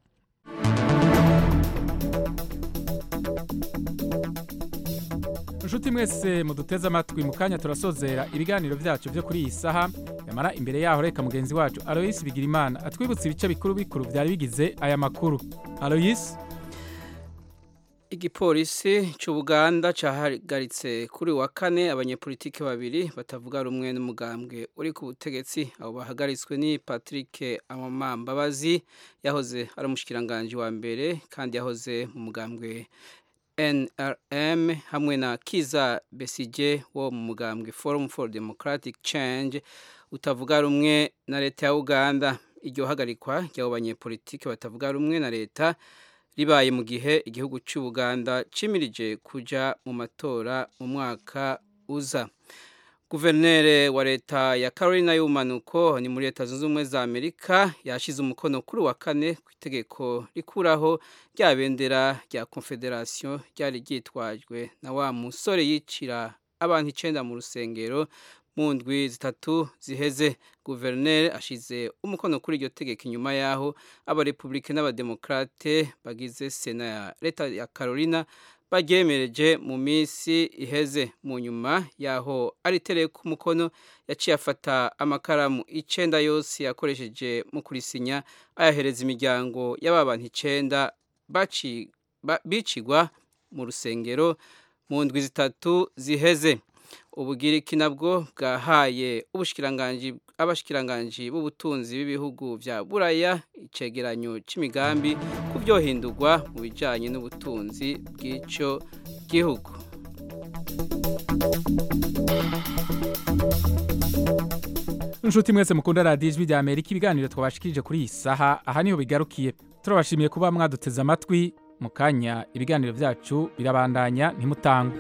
Nshuti mwese muduteze amatwi, mu kanya turasozera ibiganiro byacu byo kuri iyi saha. Yamara imbere yaho reka mugenzi wacu Alois Bigirimana atwibutse ibice bikuru bikuru byari bigize aya makuru. Alois. Igipolisi cy'Ubuganda cahagaritse kuri wa kane abanyepolitike babiri batavuga rumwe n'umugambwe uri ku butegetsi. Abo bahagaritswe ni Patrick Amambabazi yahoze ari umushikiranganje wa mbere kandi yahoze mu mugambwe NRM, hamwe na Kiza Besigye wo mu mugambwe Forum for Democratic Change utavuga rumwe na leta ya Uganda. Iryo hagarikwa ry'abo banyepolitike batavuga rumwe na leta ribaye mu gihe igihugu cy'u Buganda cimirije kuja mu matora mu mwaka uza. Guverineri wa leta ya Carolina y'ubumanuko ni muri Leta Zunze Ubumwe za Amerika yashize umukono kuri wa kane ku itegeko rikuraho rya bendera rya Confederation ryari ryitwajwe na wa musore yicira abantu 9 mu rusengero mu ndwi zitatu ziheze. Guverineri ashize umukono kuri iryo tegeko inyuma yaho abarepublike n'abademokrate bagize sena ya leta ya Carolina baryemereje mu minsi iheze. Mu nyuma yaho aritereye ku mukono yaciye afata amakaramu 9 yose yakoresheje mu kurisinya ayahereza imiryango y'abantu 9 bicigwa mu rusengero mu ndwi zitatu ziheze. Ubugiriki nabwo bwahaye abashikiranganji b'ubutunzi b'ibihugu vya Buraya icegeranyo c'imigambi kuvyohindurwa mu bijanye n'ubutunzi bw'ico gihugu. Nshuti mwese mukunda radiyo Ijwi rya Amerika, ibiganiro twabashikirije kuri iyi saha aha niho bigarukiye. Turabashimiye kuba mwaduteze amatwi. Mu kanya ibiganiro vyacu birabandanya, ntimutangwe.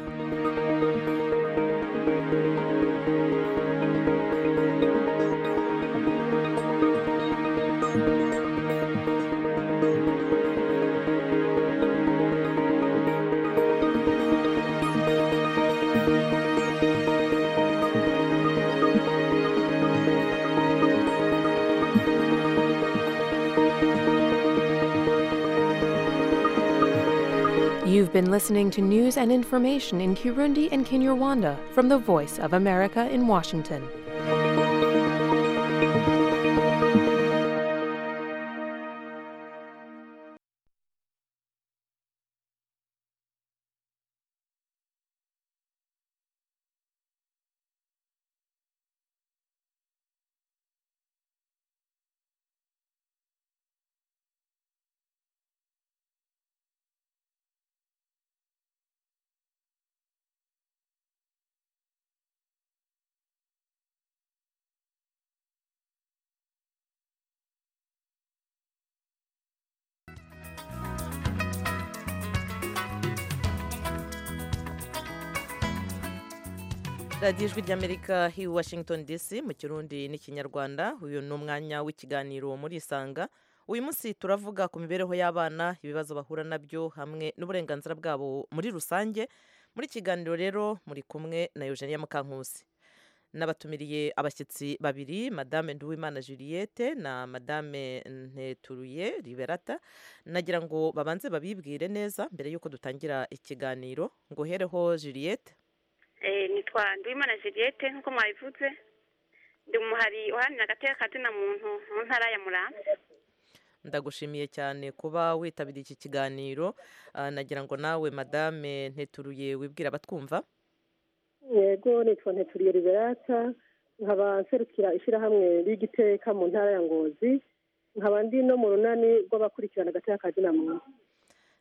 You've been listening to news and information in Kirundi and Kinyarwanda from the Voice of America in Washington. Radiyo Ijwi ry'Amerika i Washington DC mu Kirundi n'Ikinyarwanda. Uyu ni umwanya w'ikiganiro muri Isanga. Uyu munsi turavuga ku mibereho y'abana, ibibazo bahura nabyo hamwe n'uburenganzira bwabo muri rusange. Muri kiganiro rero muri kumwe na Eugenia Mukankusi. Nabatumiriye abashyitsi babiri, Madame Nduwimana Juliette na Madame Nteturuye Liberata. Nagira ngo babanze babibwire neza mbere y'uko dutangira ikiganiro. Ngo hereho Juliette. Nitwa Nduwimana Juliette nk'uko mwabivuze, ndi umuhari uharanira agateka kazina muntu mu ntara ya Muramvya. Ndagushimiye cyane kuba witabiriye iki kiganiro. Nagira ngo nawe Madame Nteturuye wibwira abatwumva. Yego, nitwa Nteturiye Liberata, nkaba nserukira ishyirahamwe ry'igiteka mu ntara ya Ngozi, nkaba ndi no mu runani rw'abakurikirana agateka kazina muntu.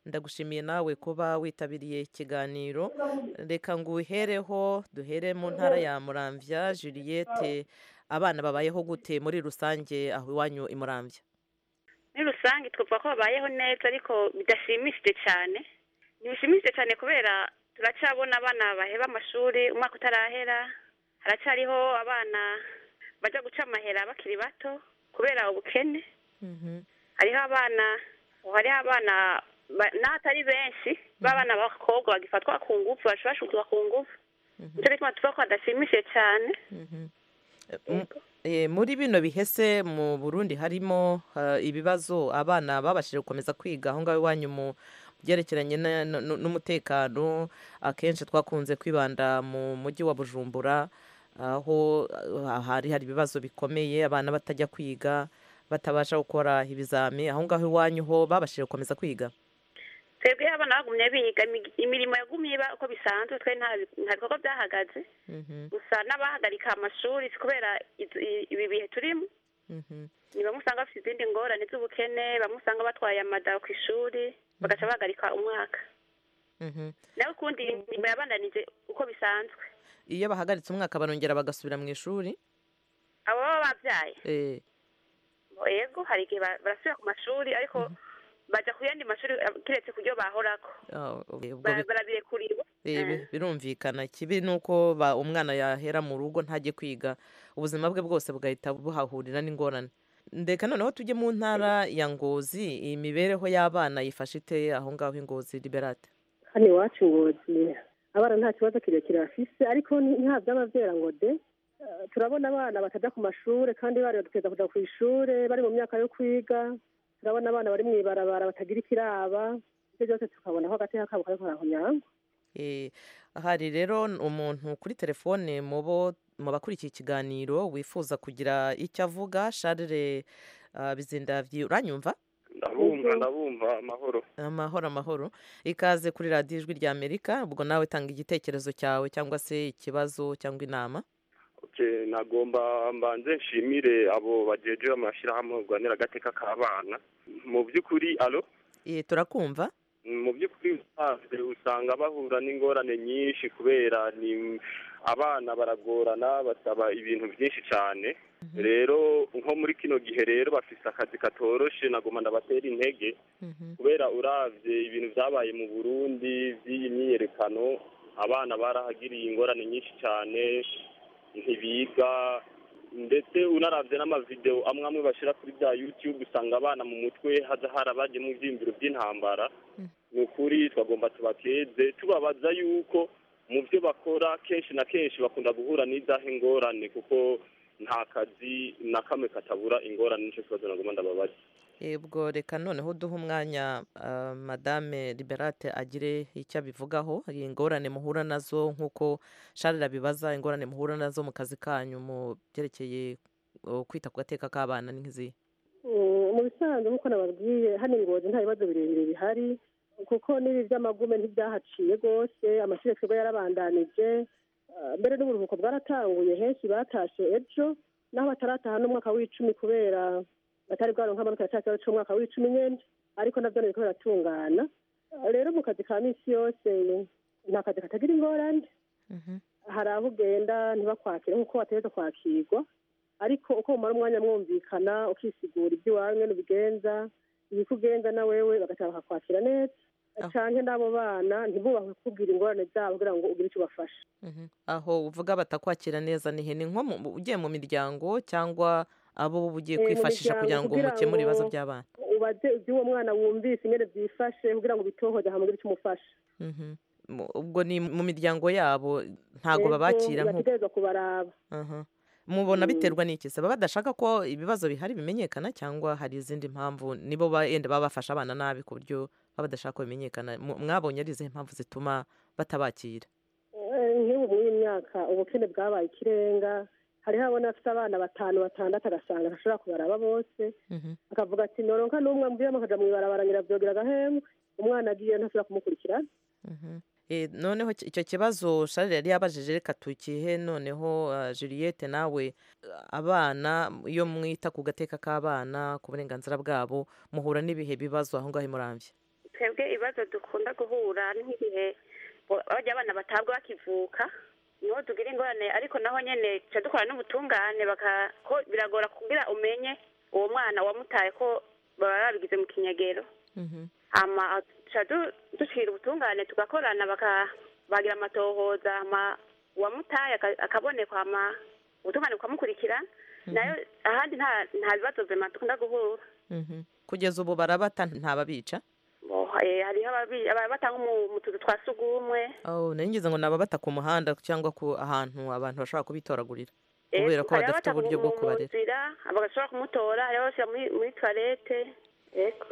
Ndagushimiye nawe kuba witabiriye ikiganiro. Reka ngo uhereho, duhere mu ntara ya Muramvya. Juliette, abana babayeho gute muri rusange aho iwanyu i Muramvya? Muri rusange twavuga ko babayeho neza, ariko bidashimishije cyane. Ntibishimishije cyane kubera turacyabona abana baheba amashuri umwaka utarahera, haracyariho abana bajya guca amahera bakiri bato kubera ubukene. Hariho abana n'abatari benshi b'abana b'abakobwa bagifatwa ku ngufu, bashobora ku ngufu. Nicyo gituma tuvuga ko hadashimishije cyane. Muri bino bihese mu Burundi harimo ibibazo, abana babashije gukomeza kwiga aho ngaho iwanyu mu byerekeranye n'umutekano? Akenshi twakunze kwibanda mu mujyi wa Bujumbura, aho hari ibibazo bikomeye, abana batajya kwiga, batabasha gukora ibizami. Aho ngaho iwanyu ho babashije gukomeza kwiga? Twebwe abana bagumye biga, imirimo yagumye iba uko bisanzwe, twe nta bikorwa byahagaze. Gusa n'abahagarika amashuri si kubera ibi bihe turimo, ni bamwe usanga bafite izindi ngorane z'ubukene, bamwe usanga batwaye amada ku ishuri bagaca bahagarika umwaka. Nawe ukundi imirimo yabandanije uko bisanzwe. Iyo bahagaritse umwaka barongera bagasubira mu ishuri? Abo baba babyaye, yego, hari igihe barasubira ku mashuri, ariko bajya ku yandi mashuri kiretse ku byo bahorako. Barabirekuriwe. Birumvikana. Ikibi ni uko umwana yahera mu rugo ntajye kwiga, ubuzima bwe bwose bugahita buhahurira n'ingorane. Ndeka noneho tujye mu ntara ya Ngozi. Imibereho y'abana yifashe ite aho ngaho i Ngozi, Liberate? Hano iwacu Ngozi abana nta kibazo kirekire bafise, ariko nta byaba ngo de. Turabona abana batajya ku mashuri kandi bari baduteza kujya ku ishuri, bari mu myaka yo kwiga. Turabona abana bari mu ibarabara batagira ikiraba, ibyo byose tukabona aho agateka kabo kari karahonyangwa. Hari rero umuntu kuri telefone mu bakurikiye ikiganiro wifuza kugira icyo avuga. Charles Bizindavyi, uranyumva? Ndabumva. Amahoro. Amahoro, amahoro. Ikaze kuri Radiyo Ijwi rya Amerika. Ubwo nawe tanga igitekerezo cyawe cyangwa se ikibazo cyangwa inama. Nagomba mbanze nshimire abo bajeje amashyirahamwe barwanira agateka k'abana. Mu by'ukuri, alo? Turakumva. Mu by'ukuri usanga bahura n'ingorane nyinshi kubera ni abana baragorana, basaba ibintu byinshi cyane. Rero nko muri kino gihe rero bafise akazi katoroshe. Nagomba ndabatera intege kubera uravye ibintu byabaye mu Burundi by'iyi myiyerekano, abana barahagiriye ingorane nyinshi cyane, ntibiga. Ndetse unaravye n'amavideo amwe amwe bashira kuri bya YouTube, usanga abana mu mutwe haza harabaje mu vyiyumviro by'intambara. Ni ukuri twagomba tubakeze, tubabaza yuko mu byo bakora kenshi na kenshi bakunda guhura n'izahe ngorane, kuko nta kazi na kamwe katabura ingorane. Nico kibazo nagomba ndababaza. Ubwo reka noneho duhe umwanya Madame Liberate agire icyo abivugaho, ingorane muhura nazo nk'uko Charles abibaza, ingorane muhura nazo mu kazi kanyu mu byerekeye kwita ku gateka k'abana ni nk'izihe? Mu bisanzwe nk'uko nababwiye, hano Ngozi nta bibazo birebire bihari, kuko n'ibi by'amagume ntibyahaciye rwose. Amashuri twebwe yarabandanije, mbere n'uburuhuko bwaratanguye, henshi batashe ejo, naho batarataha n'umwaka w'icumi kubera batari bwaronka amanota ya cya cy'umwaka w'icumi nyene, ariko navyo biriko biratungana. Rero mu kazi ka misi yose nta kazi katagira ingorane. Hari aho ugenda ntibakwakire nk'uko wategerezwa kwakirwa, ariko uko umara umwanya mwumvikana, ukisigura iby'iwawe ngene ubigenza, ibikugenza na wewe, bagataha bakakwakira neza. Canke n'abo bana ntibubahwe kukubwira ingorane zabo kugira ngo ugire icyo ubafasha. Aho uvuga batakwakira neza ni he? Ni nko ugiye mu miryango cyangwa abo uba ugiye Mu kwifashisha miryango kugira ngo kugira mukemure ibibazo ngo by'abana? Ubaze iby'uwo mwana wumvise ingene byifashe kugira ngo ubitohoze hama ugire icyo umufasha. Ubwo ni mu miryango yabo ntago Ego, babakira nk'uko bategerezwa kubaraba. Mubona biterwa n'iki se? Baba badashaka ko ibibazo bihari bimenyekana, cyangwa hari izindi mpamvu? Nibo yenda baba bafashe abana nabi ku buryo baba badashaka ko bimenyekana. Mwabonye ari izihe mpamvu zituma batabakira? Nk'ubu muri iyi myaka ubukene bwabaye ikirenga, hariho abona afite abana batanu batandatu agasanga ntashobora kubaraba bose, akavuga ati noronka n'umwe ambwiramo akaja mw'ibarabara nyiravyogira agahembwe, umwana agiye ntashobora kumukurikirana. Noneho icyo kibazo Charles yari yabajije, reka tukihe noneho Juliette nawe. Abana iyo mwita ku gateka k'abana, ku burenganzira bwabo, muhura n'ibihe bibazo aho ngaho imuramvye? Twebwe ibibazo dukunda guhura ni nk'igihe bajya abana batabwa bakivuka, niho tugira ingorane, ariko naho nyene tuca dukora n'ubutungane, ko biragora kugira umenye uwo mwana wamutaye ko baba babigize mu kinyegero. Hama tuca dushira ubutungane tugakorana, bagira amatohoza, hama uwamutaye akabonekwa, hama ubutungane bukamukurikirana. Nayo ahandi nta bibazo vyema dukunda guhura. Kugeza ubu barabata ntababica? Hariho ababata nko mu tuzu twa sugumwe. Oh, nari ngize ngo ni ababata ku muhanda cyangwa ku ahantu abantu bashobora kubitoragurira, kubera ko Hariho badafite abata uburyo bwo mu kubarera. nzira, bagashobora kumutora, hariho abashyira muri toilette, yego,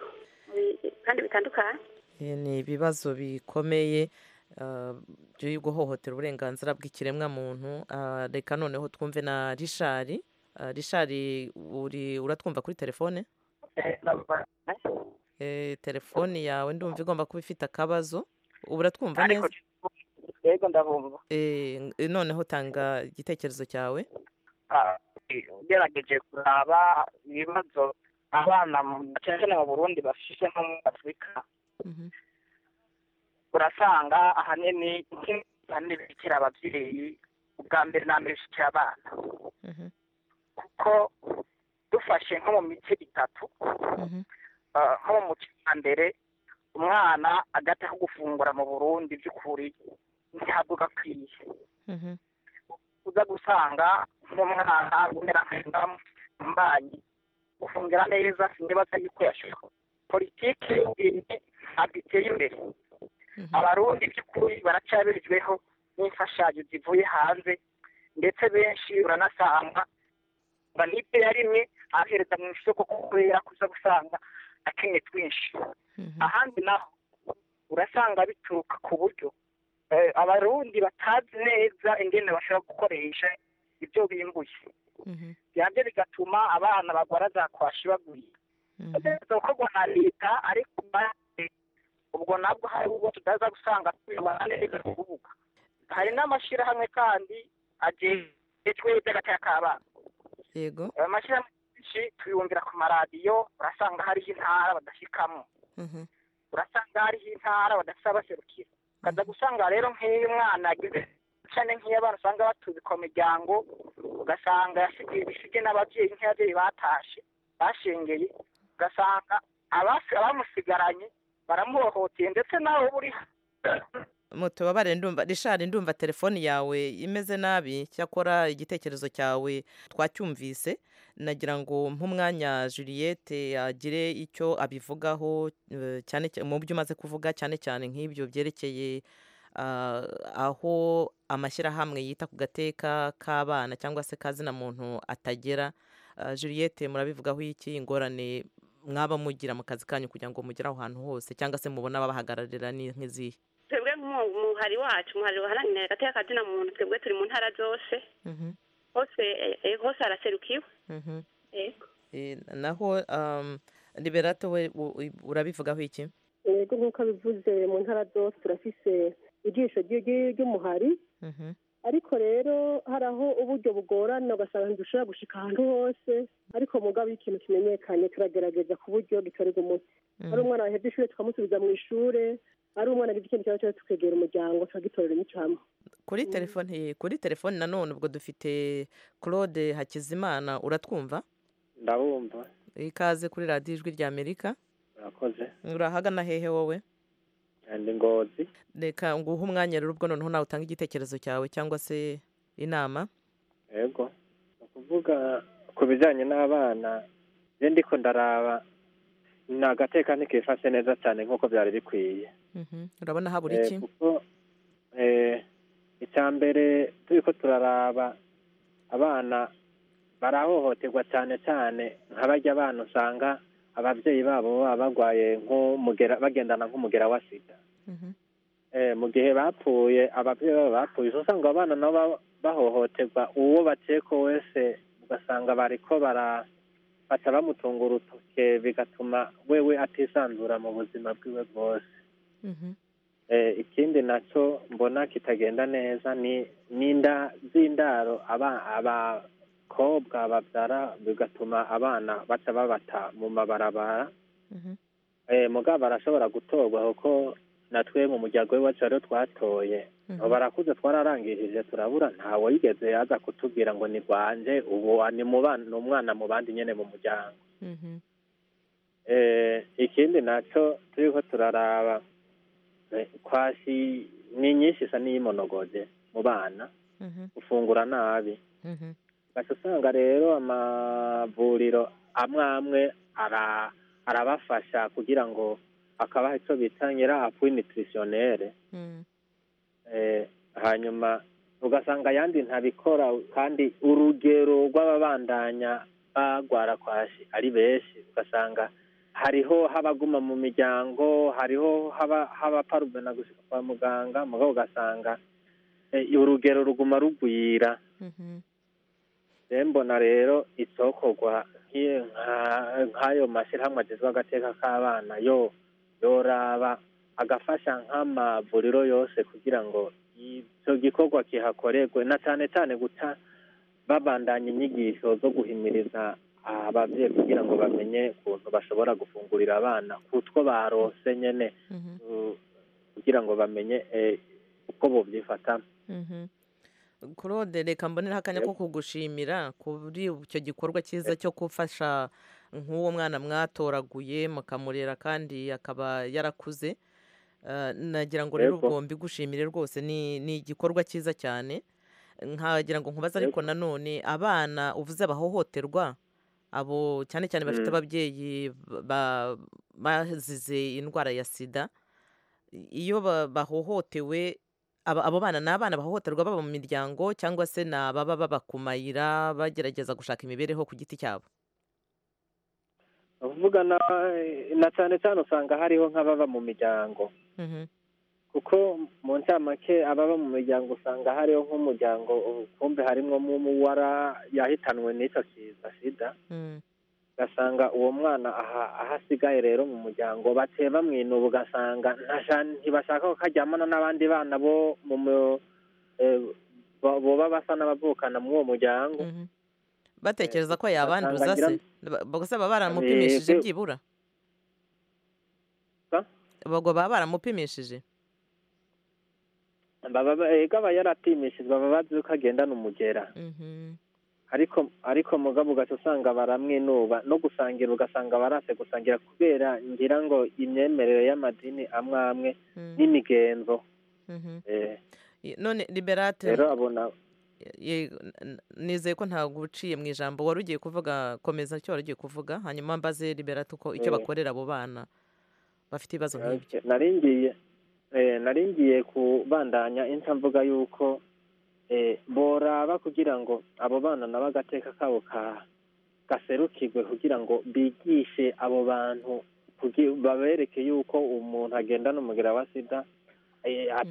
kandi bitandukanye. Ni ibibazo bikomeye byo guhohotera uburenganzira bw'ikiremwamuntu. Reka noneho twumve na Richard. Richard, uratwumva kuri telefone? Telefone yawe ndumva igomba kuba ifite akabazo. Ubu uratwumva Ariko neza? Yego, ndabumva. Noneho tanga igitekerezo cyawe. Ugerageje kuraba ibibazo abana cyane cyane mu Burundi bafise nko muri Afurika, urasanga ahanini bikira ababyeyi ubwa mbere na mbere bishikira abana, kuko dufashe nko mu mice itatu, nko mu muce wa mbere, umwana agata ko gufungura mu Burundi by'ukuri ntabwo gakwiye. Uza gusanga nk'umwana umera nk'imbanyi gufungira neza, sinibaza yuko yashoboka. Politiki y'uburimyi ntabwo iteye imbere. Abarundi by'ukuri baracyabirijweho n'imfashanyo zivuye hanze, ndetse benshi uranasanga banibyo yarimwe ahereza mu isoko kubera kuza gusanga akenye twinshi. Ahandi naho urasanga bituruka ku buryo abarundi batazi neza ingene bashobora gukoresha ibyo bimbuye, byabyo bigatuma abana bagwara za kwashi bagwira. Gukorwa na leta, ariko ubwo nabwo hari ubwo tutaza gusanga tubibona neza kuvuga. Hari n'amashyirahamwe kandi ajejwe iby'agateka k'abana. Ayo mashyirahamwe menshi tuyumvira ku maradiyo, urasanga hariho intara badashikamwo, urasanga hariho intara badafise abaserukira. Ukaza gusanga rero nk'iyo umwana agize cyane, nk'iyo abana usanga batubikwa mu miryango, ugasanga yasigiye ibisige n'ababyeyi, nk'ababyeyi batashe bashengeye, ugasanga abamusigaranye baramuhohoteye, ndetse nawe uba uri Mutubabare, ndumva Richard, ndumva telefone yawe imeze nabi, cyakora igitekerezo cyawe twacyumvise. Nagira ngo nk'umwanya Juliette agire icyo abivugaho, cyane mu byo umaze kuvuga, cyane cyane nk'ibyo byerekeye aho amashyirahamwe yita ku gateka k'abana cyangwa se kazina muntu atagera. Juliette, murabivugaho iki? Ingorane mwaba mugira mu kazi kanyu kugira ngo mugere aho hantu hose, cyangwa se mubona ababahagararira ni nk'izihe? Twebwe nk'umuhari wacu, umuhari uharanira agateka kazina muntu, twebwe turi mu ntara zose, hose hose haraserukiwe. Yego. Naho Liberata we urabivugaho iki? Yego, nk'uko abivuze, mu ntara zose turafise ijisho ry'umuhari, ariko rero hari aho uburyo bugorana, ugasanga ntidushobora gushika ahantu hose, ariko mugabo iyo ikintu kimenyekanye turagerageza ku buryo gitorerwa umuti. Ari umwana wahevye ishure tukamusubiza mu ishure, ari umwana agize ikintu kibazo tukegera umuryango tukagitorera imico hamwe. Kuri telefone nanone ubwo dufite Claude Hakizimana, uratwumva? Ndabumva. Ikaze kuri radiyo Ijwi rya Amerika. Murakoze. Urahagana hehe wowe? Ndi Ngozi. Reka nguhe umwanya rero ubwo noneho nawe utanga igitekerezo cyawe cyangwa se inama. Yego, ni ukuvuga ku bijyanye n'abana, njye ndiko ndaraba ni agateka ntikifashe neza cyane nk'uko byari bikwiye. Urabona habura iki? Kuko icya mbere turiko turaraba abana barahohoterwa cyane cyane nka barya bana usanga ababyeyi babo baba barwaye nk'umugera, bagendana nk'umugera wa sida. Mu gihe bapfuye, ababyeyi babo bapfuye, usanga abana nabo bahohoterwa, uwo bakeko wese ugasanga bariko baca bamutunga urutoke, bigatuma wewe atisanzura mu buzima bwiwe bwose. Ikindi naco mbona kitagenda neza ni n'inda z'indaro abakobwa babyara, bigatuma abana baca babata mu mabarabara. Mugabo barashobora gutorwa, kuko natwe mu muryango w'iwacu rero twatoye barakuze, twararangirije turabura, ntawe yigeze aza kutubwira ngo ni rwanje, ubu ni umwana mu bandi nyene mu muryango. Ikindi naco turiko turaraba, kwashi ni nyinshi isa n'iyimonogoje mu bana, gufungura nabi. Ugaca usanga rero amavuriro amwe amwe arabafasha kugira ngo akabaha ico bita nyira appui nutritionnel. Hanyuma ugasanga ayandi ntabikora, kandi urugero rw'ababandanya bagwara kwashi ari benshi. Ugasanga hariho habaguma mu miryango, hariho haba parubena gushika kwa muganga, mugabo ugasanga urugero ruguma rugwira. Mbona rero icokorwa nk'ayo mashyirahamwe agezwe agateka k'abana yo yoraba agafasha nk'amavuriro yose kugira ngo icyo gikorwa kihakorerwe, na cyane cyane guca babandanya inyigisho zo guhimiriza ababyeyi kugira ngo bamenye ukuntu bashobora gufungurira abana kutwo barose nyene, kugira ngo bamenye uko bovyifatamo. Claude, reka mbonera akanya ko kugushimira kuri icyo gikorwa cyiza cyo gufasha nk'uwo mwana mwatoraguye mukamurera kandi akaba yarakuze. Nagira ngo rero ubwo mbigushimire rwose, ni igikorwa cyiza cyane. Nkagira ngo nkubaze ariko nanone abana uvuze bahohoterwa, abo cyane cyane bafite ababyeyi bazize indwara ya sida, iyo bahohotewe, abo bana ni abana bahohoterwa baba mu miryango cyangwa se ni ababa baba ku mayira bagerageza gushaka imibereho ku giti cyabo? Uvuga na cyane cyane usanga hariho nk'ababa mu miryango, kuko mu ncamake ababa mu miryango usanga hariho nk'umuryango kumbe harimwo wara yahitanwe n'icyo kiza sida, ugasanga uwo mwana aho asigaye rero mu muryango baciye bamwinuba, ugasanga ntibashaka ko karyamana n'abandi bana bo boba basa n'abavukana muri uwo muryango, batekereza ko yabanduza se gusa baba baramupimishije byibura? Ubwo baba baramupimishije? Aba yarapimishijwe, baba bazi ko agendana umugera, ariko mugabo ugaca usanga baramwinuba, no gusangira ugasanga barase gusangira kubera ngira ngo imyemerere y'amadini amwe amwe n'imigenzo. None Liberate rero abona, nizeye ko ntabwo uciye mu ijambo wari ugiye kuvuga, komeza icyo wari ugiye kuvuga, hanyuma mbaze Liberate uko icyo bakorera abo bana bafite ibibazo nk'ibyo. Naringiye kubandanya inca mvuga yuko boraba kugira ngo abo bana nabo agateka kabo gaserukirwe, kugira ngo bigishe abo bantu, babereke yuko umuntu agendana umugera wa sida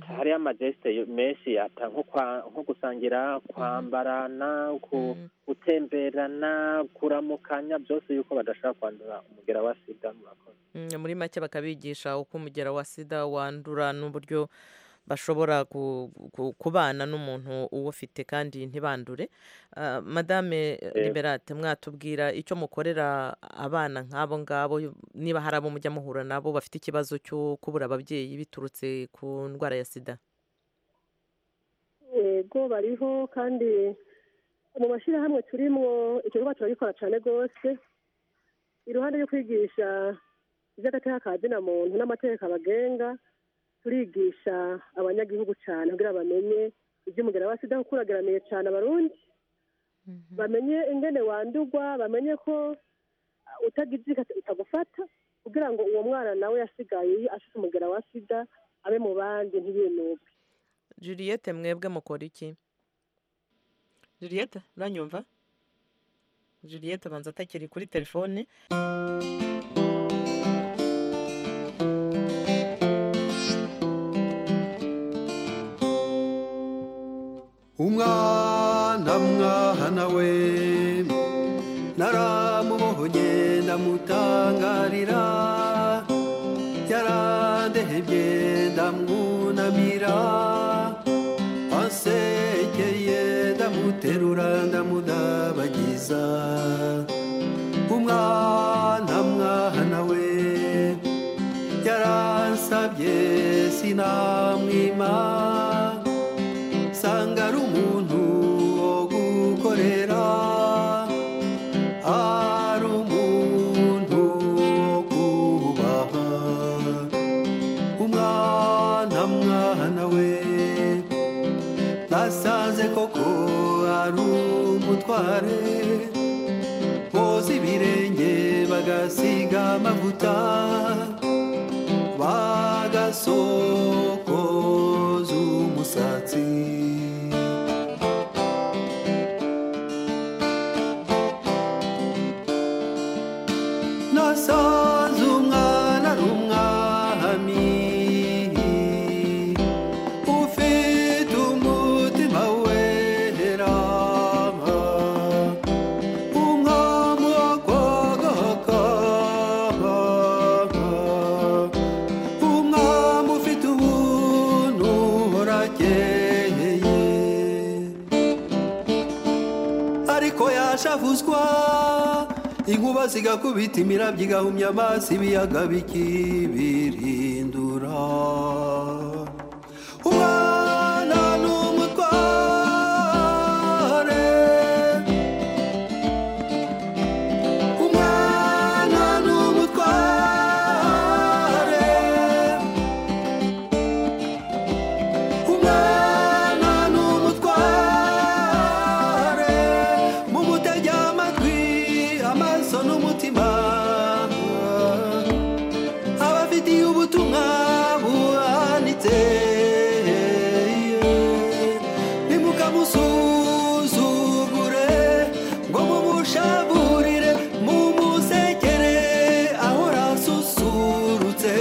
hariyo amajesite menshi, nko gusangira, kwambarana, gutemberana, kuramukanya, byose yuko badashobora kwandura umugera wa sida. Murakoze. Muri make bakabigisha uko umugera wa sida wandura n'uburyo bashobora kubana n'umuntu uwufite kandi ntibandure. Madame Liberate, mwatubwira icyo mukorera abana nk'abo ngabo, niba hari abo mujya muhura nabo bafite ikibazo cyo kubura ababyeyi biturutse ku ndwara ya sida? Yego, bariho, kandi mu mashyirahamwe turimo icyo gikorwa turagikora cyane rwose. Iruhande yo kwigisha iby'agateka ka zina muntu n'amategeko abagenga, Turigisha abanyagihugu cyane kugira bamenye iby'umugera wa sida, kuko urageramiye cyane Abarundi, bamenye ingene wandugwa, bamenye ko utagize utagufata, kugira ngo uwo mwana nawe yasigaye afite umugera wa sida abe mu bandi ntibinubwe. Juliette, mwebwe mukora iki? Juliette, uranyumva? Juliette abanza atakiri kuri telefone. Umwana mwana we naramubohonye ndamutangarira, yarandehebye ndamwunamira, ansekeye ndamuterura ndamudabagiza. Umwana mwana we yaransabye sinamwima, sanga ari umuntu wo gukorera, ari umuntu wo kubaha. Umwana mwana we nasanze koko ari umutware, boza ibirenge bagasiga amavuta, bagasokoza umusatsi. Nasanze umwana ari umwami, ufite umutima wera, umwami w'akagaka, umwami ufite ubuntu uhorakeye, ariko yashavuzwa inkuba zigakubita imirabyo igahumya amazi, ibiyaga bikibirindura. Umwana ni umutware, umwana ni umutware, umwana ni umutware, mumutege amatwi amaso n'umutima, abafitiye ubutumwa buhanitse, ntimukamusuzugure ngo mumushaburire, mumusekere ahora asusurutse.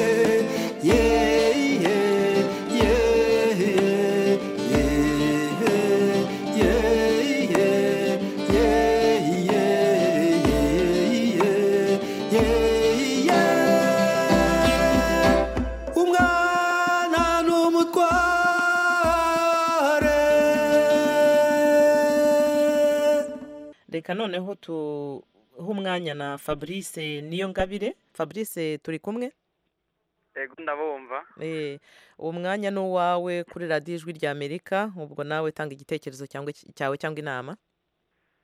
Umwana ni umutware. Reka noneho tuhe umwanya na Fabrice Niyongabire. Fabrice, turi kumwe? Ego, ndabumva. Uwo mwanya ni uwawe kuri radiyo Ijwi rya Amerika, ubwo nawe tanga igitekerezo cyangwa cyawe cyangwa inama.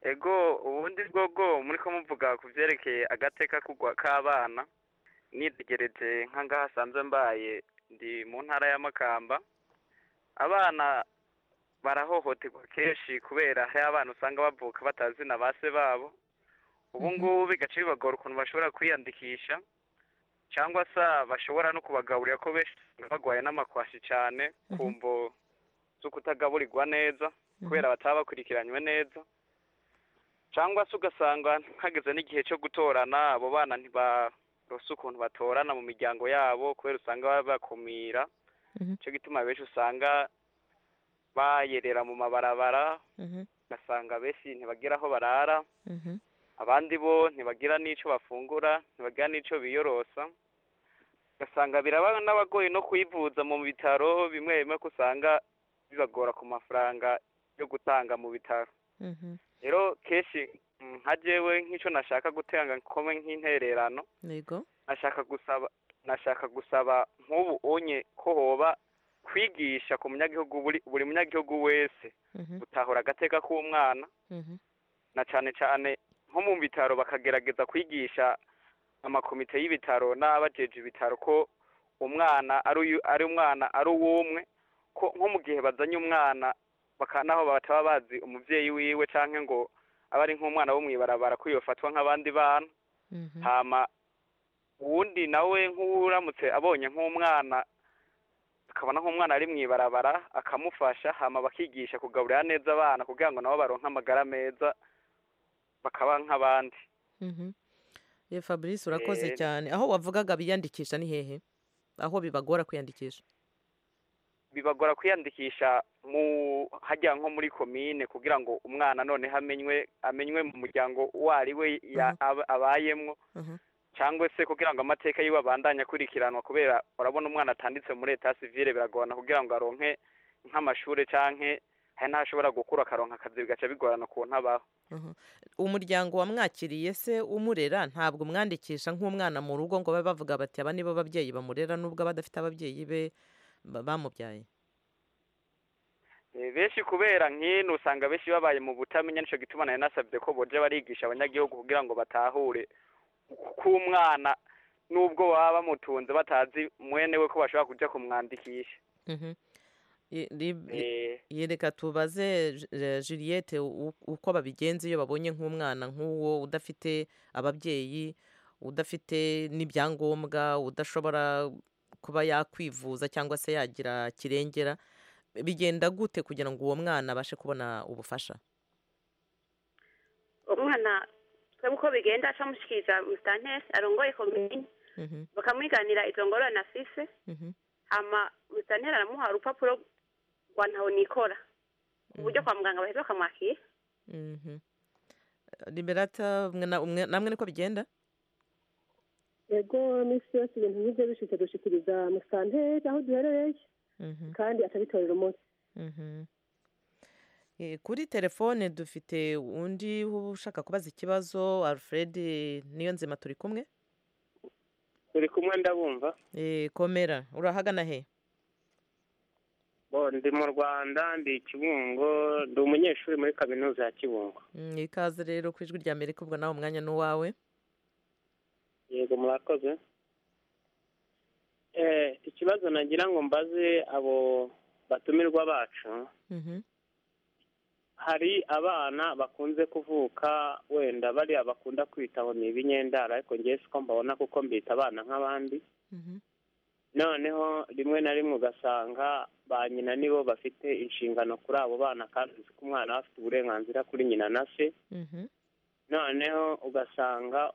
Ego, ubundi bwobwo muri ko muvuga ku byerekeye agateka kugwa k'abana, nitegereje nk'angaha hasanzwe mbaye ndi mu ntara ya Makamba, abana barahohoterwa kenshi kubera hari abana usanga bavuka batazi na ba se babo. Ubu ngubu bigaca bibagora ukuntu bashobora kwiyandikisha, cyangwa se bashobora no kubagaburira, ko benshi usanga bagwaye n'amakwashi cyane ku mvo zo kutagaburirwa neza kubera bataba bakurikiranywe neza, cyangwa se ugasanga hageze n'igihe cyo gutorana, abo bana ntibarose ukuntu batorana mu miryango yabo kubera usanga babakumira. Icyo gituma benshi usanga bayerera mu mabarabara, ugasanga benshi ntibagira aho barara, abandi bo ntibagira n'icyo bafungura, ntibagira n'icyo biyorosa, ugasanga biraba n'abagoye no kwivuza mu bitaro bimwe bimwe, ko usanga bibagora ku mafaranga yo gutanga mu bitaro. Rero kenshi nka jewe nk'icyo nashaka gutanga nkome nk'intererano, Yego. nashaka gusaba nk'ubu onye ko hoba kwigisha ku munyagihugu, buri munyagihugu wese gutahura agateka k'umwana, na cane cane nko mu bitaro bakagerageza kwigisha amakomite y'ibitaro n'abajeje ibitaro ko Umwana ari umwana ari uwumwe, ko nko mu gihe bazanye umwana naho bataba bazi umuvyeyi wiwe canke ngo aba ari nk'umwana wo mw'ibarabara ko yofatwa nk'abandi bana. Hama uwundi nawe nk'uramutse abonye nk'umwana akabona nk'umwana ari mw'ibarabara akamufasha, hama bakigisha kugaburira neza abana kugira ngo nabo baronke amagara meza bakaba nk'abandi. Fabrice, urakoze cyane. Aho wavugaga biyandikisha ni hehe? Aho bibagora kwiyandikisha? Bibagora kwiyandikisha mu hajya nko muri komine, kugira ngo umwana none amenywe mu muryango wari we abayemwo, cyangwa se kugira ngo amateka yiwe abandanye akurikiranwa, kubera urabona umwana atanditse muri etat civile biragorana kugira ngo aronke nk'amashure canke hari n'ashobora gukura akaronka akazi, bigaca bigorana ukuntu abaho. Umuryango wamwakiriye se umurera ntabwo umwandikisha nk'umwana mu rugo ngo babe bavuga bati aba nibo babyeyi bamurera, nubwo abadafite ababyeyi be bamubyaye? Benshi kubera nk'ino usanga benshi babaye mu butamenya, nico gituma nari nasabye ko boje barigisha abanyagihugu kugira ngo batahure ko umwana nubwo baba bamutunze batazi mwene we ko bashobora kuja kumwandikisha. Yereka tubaze Juliette uko babigenza iyo babonye nk'umwana nk'uwo udafite ababyeyi, udafite n'ibyangombwa, udashobora kuba yakwivuza cyangwa se yagira kirengera, bigenda gute kugira ngo uwo mwana abashe kubona ubufasha? Umwana twebwe uko bigenda acamushikiriza musitanteri arongoye komine, bakamwiganira izo ngorane afise, hama musitanteri aramuha urupapuro rwa ntaho nikora, ku buryo kwa muganga baheza bakamwakira. Liberata, namwe niko bigenda? Ego, misi yose ibintu nk'ibyo bishitse dushikiriza musitanteri aho duherereye, kandi atabitorera umunsi. Kuri telefone dufite undi ushaka kubaza ikibazo, Alfred Niyonzima, turi kumwe? Turi kumwe, ndabumva. Komera, urahagana he? Bo, ndi mu Rwanda, ndi Kibungo, ndi umunyeshuri muri kaminuza ya Kibungo. Ikaze rero ku Ijwi rya Amerika, ubwo nawe umwanya n'uwawe. Yego, murakoze. Ikibazo nagira ngo mbaze abo batumirwa bacu, hari abana bakunze kuvuka wenda bariya bakunda kwitaho ni ibinyendara, ariko ngewe siko mbabona kuko mbita abana nk'abandi. Noneho rimwe na rimwe ugasanga ba nyina nibo bafite inshingano kuri abo bana, kandi uzi ko umwana aba afite uburenganzira kuri nyina na se. Noneho ugasanga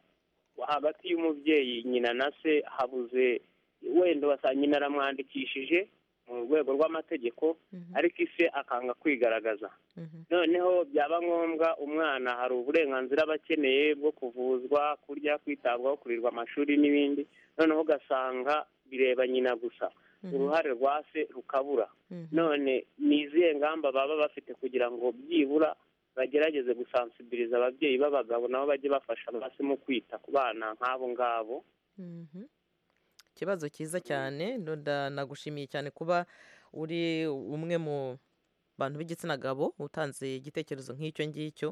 hagati y'umubyeyi nyina na se habuze, wenda ugasanga nyina aramwandikishije mu rwego rw'amategeko, ariko ise akanga kwigaragaza. Noneho byaba ngombwa umwana hari uburenganzira aba akeneye bwo kuvuzwa, kurya, kwitabwaho, kurirwa amashuri n'ibindi, noneho ugasanga bireba nyina gusa, uruhare rwa se rukabura. None ni izihe ngamba baba bafite kugira ngo byibura bagerageze gusansibiliza ababyeyi b'abagabo nabo bajye bafasha basi mu kwita ku bana nk'abo ngabo? Ikibazo cyiza cyane, nagushimiye cyane kuba uri umwe mu bantu b'igitsina gabo utanze igitekerezo nk'icyo ngicyo,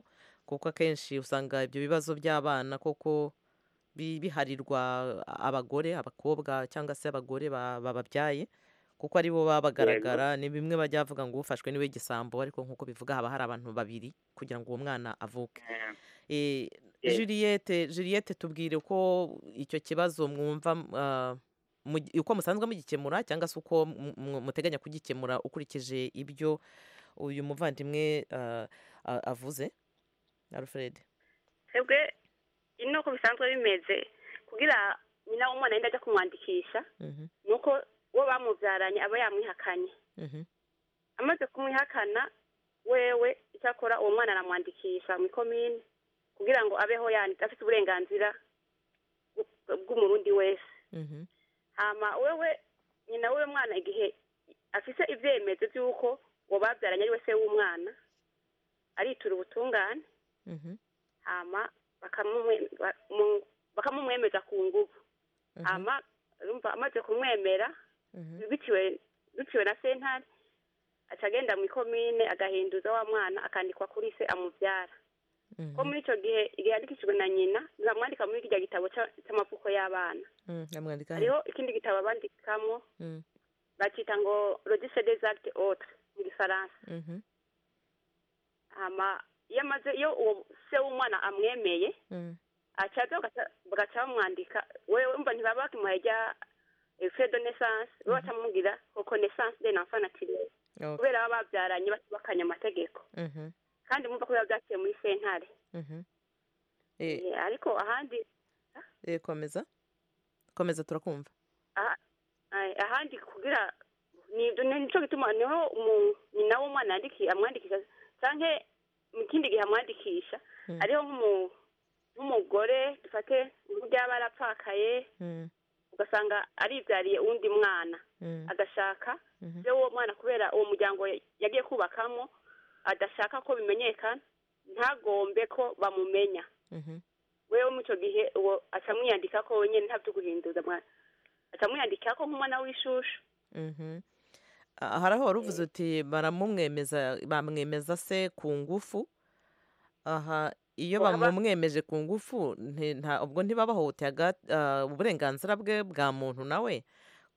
kuko akenshi usanga ibyo bibazo by'abana koko biharirwa abagore, abakobwa cyangwa se abagore bababyaye, kuko ari bo baba bagaragara. Ni bimwe bajya bavuga ngo ufashwe niwe gisambo, ariko nk'uko bivuga haba hari abantu babiri kugira ngo uwo mwana avuke. Juliette, tubwire uko icyo kibazo mwumva, uko musanzwe mugikemura cyangwa se uko muteganya kugikemura ukurikije ibyo uyu muvandimwe avuze, Alfred. Twebwe ino ko bisanzwe bimeze, kugira nyina w'umwana yenda ajya kumwandikisha, nuko uwo bamubyaranye aba yamwihakanye. Amaze kumwihakana wewe, icyakora uwo mwana aramwandikisha mu ikomine kugira ngo abeho yanditse afite uburenganzira bw'umurundi wese. Hama wewe nyina w'uwo mwana igihe afise ivyemezo by'uko uwo babyaranye ari we se w'umwana, aritura ubutungane, hama bakamumwemeza ku nguvu. Hama urumva amaze kumwemera biciwe na sentare, aca agenda mu ikomine agahinduza wa mwana akandikwa kuri se amubyara. Ko muri ico gihe igihe yandikishijwe na nyina, bamwandika muri kirya gitabo c'amavuko y'abana. Bamwandika he? Hariho ikindi gitabo bandikamo, bacita ngo registre des actes autres mu gifaransa. Hama iyo amaze, iyo uwo se w'umwana amwemeye, acaza bagaca bamwandika. Wewe umva, ntibaba bakimuhaye rya fait de naissance, bo baca bamubwira reconnaissance d'un enfant naturel, kubera baba babyaranye batubakanye amategeko, kandi mumva ko biba byaciye muri sentare. Ariko ahandi Komeza, komeza, turakumva. Ahandi kugira ni nico gituma niho nyina w'umwana amwandikisha, canke mu kindi gihe amwandikisha ariho nk'umugore, dufate nk'uryaba yarapfakaye, ugasanga aribyariye uwundi mwana, agashaka se w'uwo mwana, kubera uwo muryango yagiye kubakamo adashaka ko bimenyekana, ntagombe ko bamumenya. Wewe muri ico gihe uwo aca amwiyandika ko wenyene, nta vyo guhinduza, aca amwiyandika ko nk'umwana w'ishushu. Hari aho wari uvuze uti baramumwemeza, bamwemeza se ku ngufu. Aha iyo bamumwemeje ku ngufu, ubwo ntibabahohoteye uburenganzira bwe bwa muntu nawe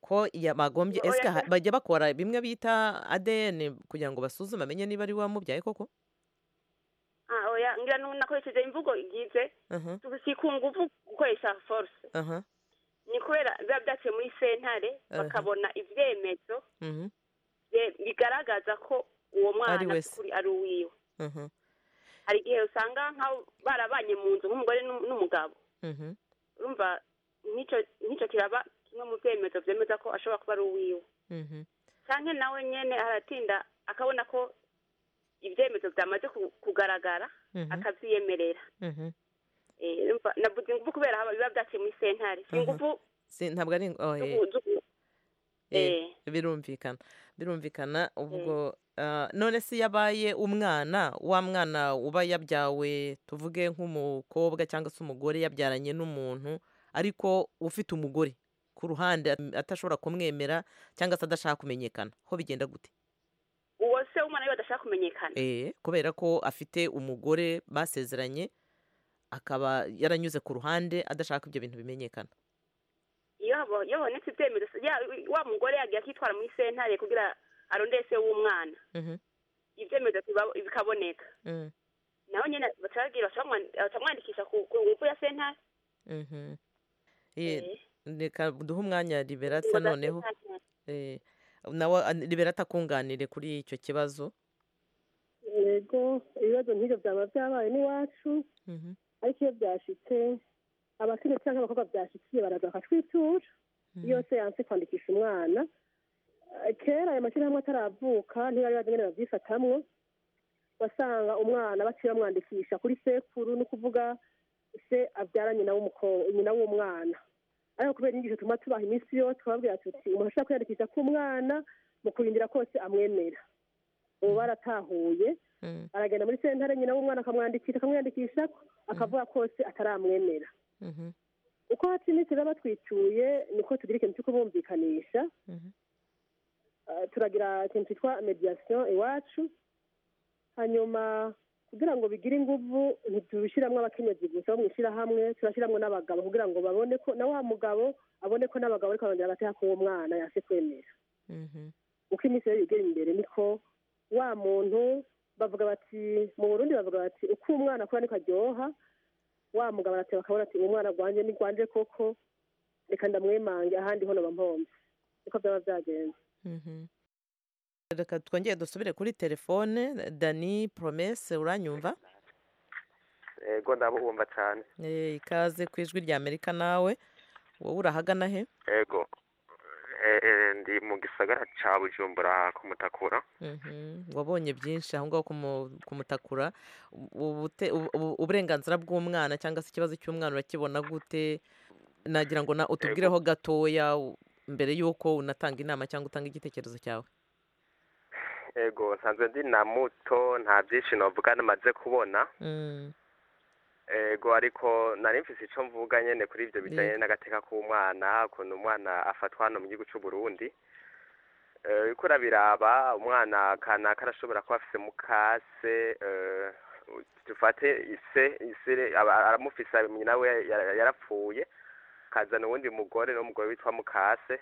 ko bagombye? Oya, Ese bajya bakora bimwe bita ADN kugira ngo basuzume amenye niba ari we wamubyaye koko? Ah, oya, ngira nakoresheje imvugo igize si ku nguvu gukoresha force, ni kubera biba byaciye muri sentare, bakabona ivyemezo bigaragaza ko uwo mwana Ari we se. by'ukuri ari uwiwe. Hari igihe usanga nka barabanye mu nzu nk'umugore n'umugabo, urumva nk'ico kiraba kimwe mu vyemezo vyemeza ko ashobora kuba ari uwiwe, canke nawe nyene aratinda akabona ko ivyemezo vyamaze kugaragara, akavyiyemerera. Urumva navuze ingufu kubera biba vyaciye muri sentare, si ingufu Si, ntabwo ari oh, Birumvikana, birumvikana. Ubwo none se yabaye umwana wa mwana uba yabyawe, tuvuge nk'umukobwa cyangwa se umugore yabyaranye n'umuntu ariko ufite umugore ku ruhande, atashobora kumwemera cyangwa se adashaka kumenyekana, ho bigenda gute? Uwo se w'umwana we adashaka kumenyekana? Kubera ko afite umugore basezeranye, akaba yaranyuze ku ruhande adashaka ibyo bintu bimenyekana. Iyo habonetse ibyemezo, wa mugore yagiye akitwara muri sentare kugira arondere se w'umwana, ibyemezo bikaboneka, naho nyine baca bacamwandikisha ku ngufu ya sentare. Reka duhe umwanya Liberata noneho. Nawe Liberata akunganire kuri icyo kibazo. Yego, ibibazo nk'ibyo byaba byabaye n'iwacu, ariko iyo byashitse, abakenyezi cyangwa abakobwa byashikiye baraza bakatwitura iyo se yanse kwandikisha umwana. Kera ayo mashyirahamwe ataravuka, ntibari bazi ingene babyifatamwo. Wasanga umwana baciye bamwandikisha kuri sekuru, ni ukuvuga se abyara nyina nyina w'umwana. Ariko kubera inyigisho tuma tubaha iminsi yose, twababwira tuti umuntu ashobora kwiyandikisha k'umwana mu kurindira kose amwemera. Ubu baratahuye, aragenda muri sentare, nyina w'umwana akamwandikisha, akamwiyandikisha, akavuga kose ataramwemera. Uko haca iminsi rero batwituye, niko tugira ikintu cyo kubumvikanisha. Turagira ikintu cyitwa médiation iwacu. Hanyuma kugira ngo bigire inguvu, ntitubishyiramo abakenyezi gusa bo mu ishyirahamwe, turashyiramo n'abagabo kugira ngo babone ko na wa mugabo abone ko n'abagabo ariko barongera agateka k'uwo mwana yase kwemera. Uko iminsi rero igera imbere, niko wa muntu, bavuga bati mu Burundi bavuga bati uko umwana akura niko aryoha. Wa mugabo arateba akabona ati umwana rwanje ni rwanje koko, reka ndamwemange, ahandi ho noba mpomvye. Niko byaba byagenze. Reka twongere dusubire kuri telefone. Dani Promese, uranyumva? Ego, ndabumva cyane. Ikaze ku Ijwi rya Amerika. Nawe wowe urahagana he? Ego, ndi mu gisagara ca Bujumbura ku Mutakura. Wabonye byinshi aho ngaho ku Mutakura. Uburenganzira bw'umwana cyangwa se ikibazo cy'umwana urakibona gute? Nagira ngo na utubwireho gatoya mbere y'uko unatanga inama cyangwa utanga igitekerezo cyawe. Ego, nsanzwe ndi na muto, nta byinshi novuga namaze kubona. Ego, ariko nari mfise ico mvuga nyene kuri ivyo bijanye n'agateka k'umwana, ukuntu umwana afatwa hano mu gihugu c'u Burundi. Uriko urabiraba, umwana kanaka arashobora kuba afise mukase, Dufate ise aramufise, nyina we yarapfuye, kazana uwundi mugore, n'umugore witwa mukase.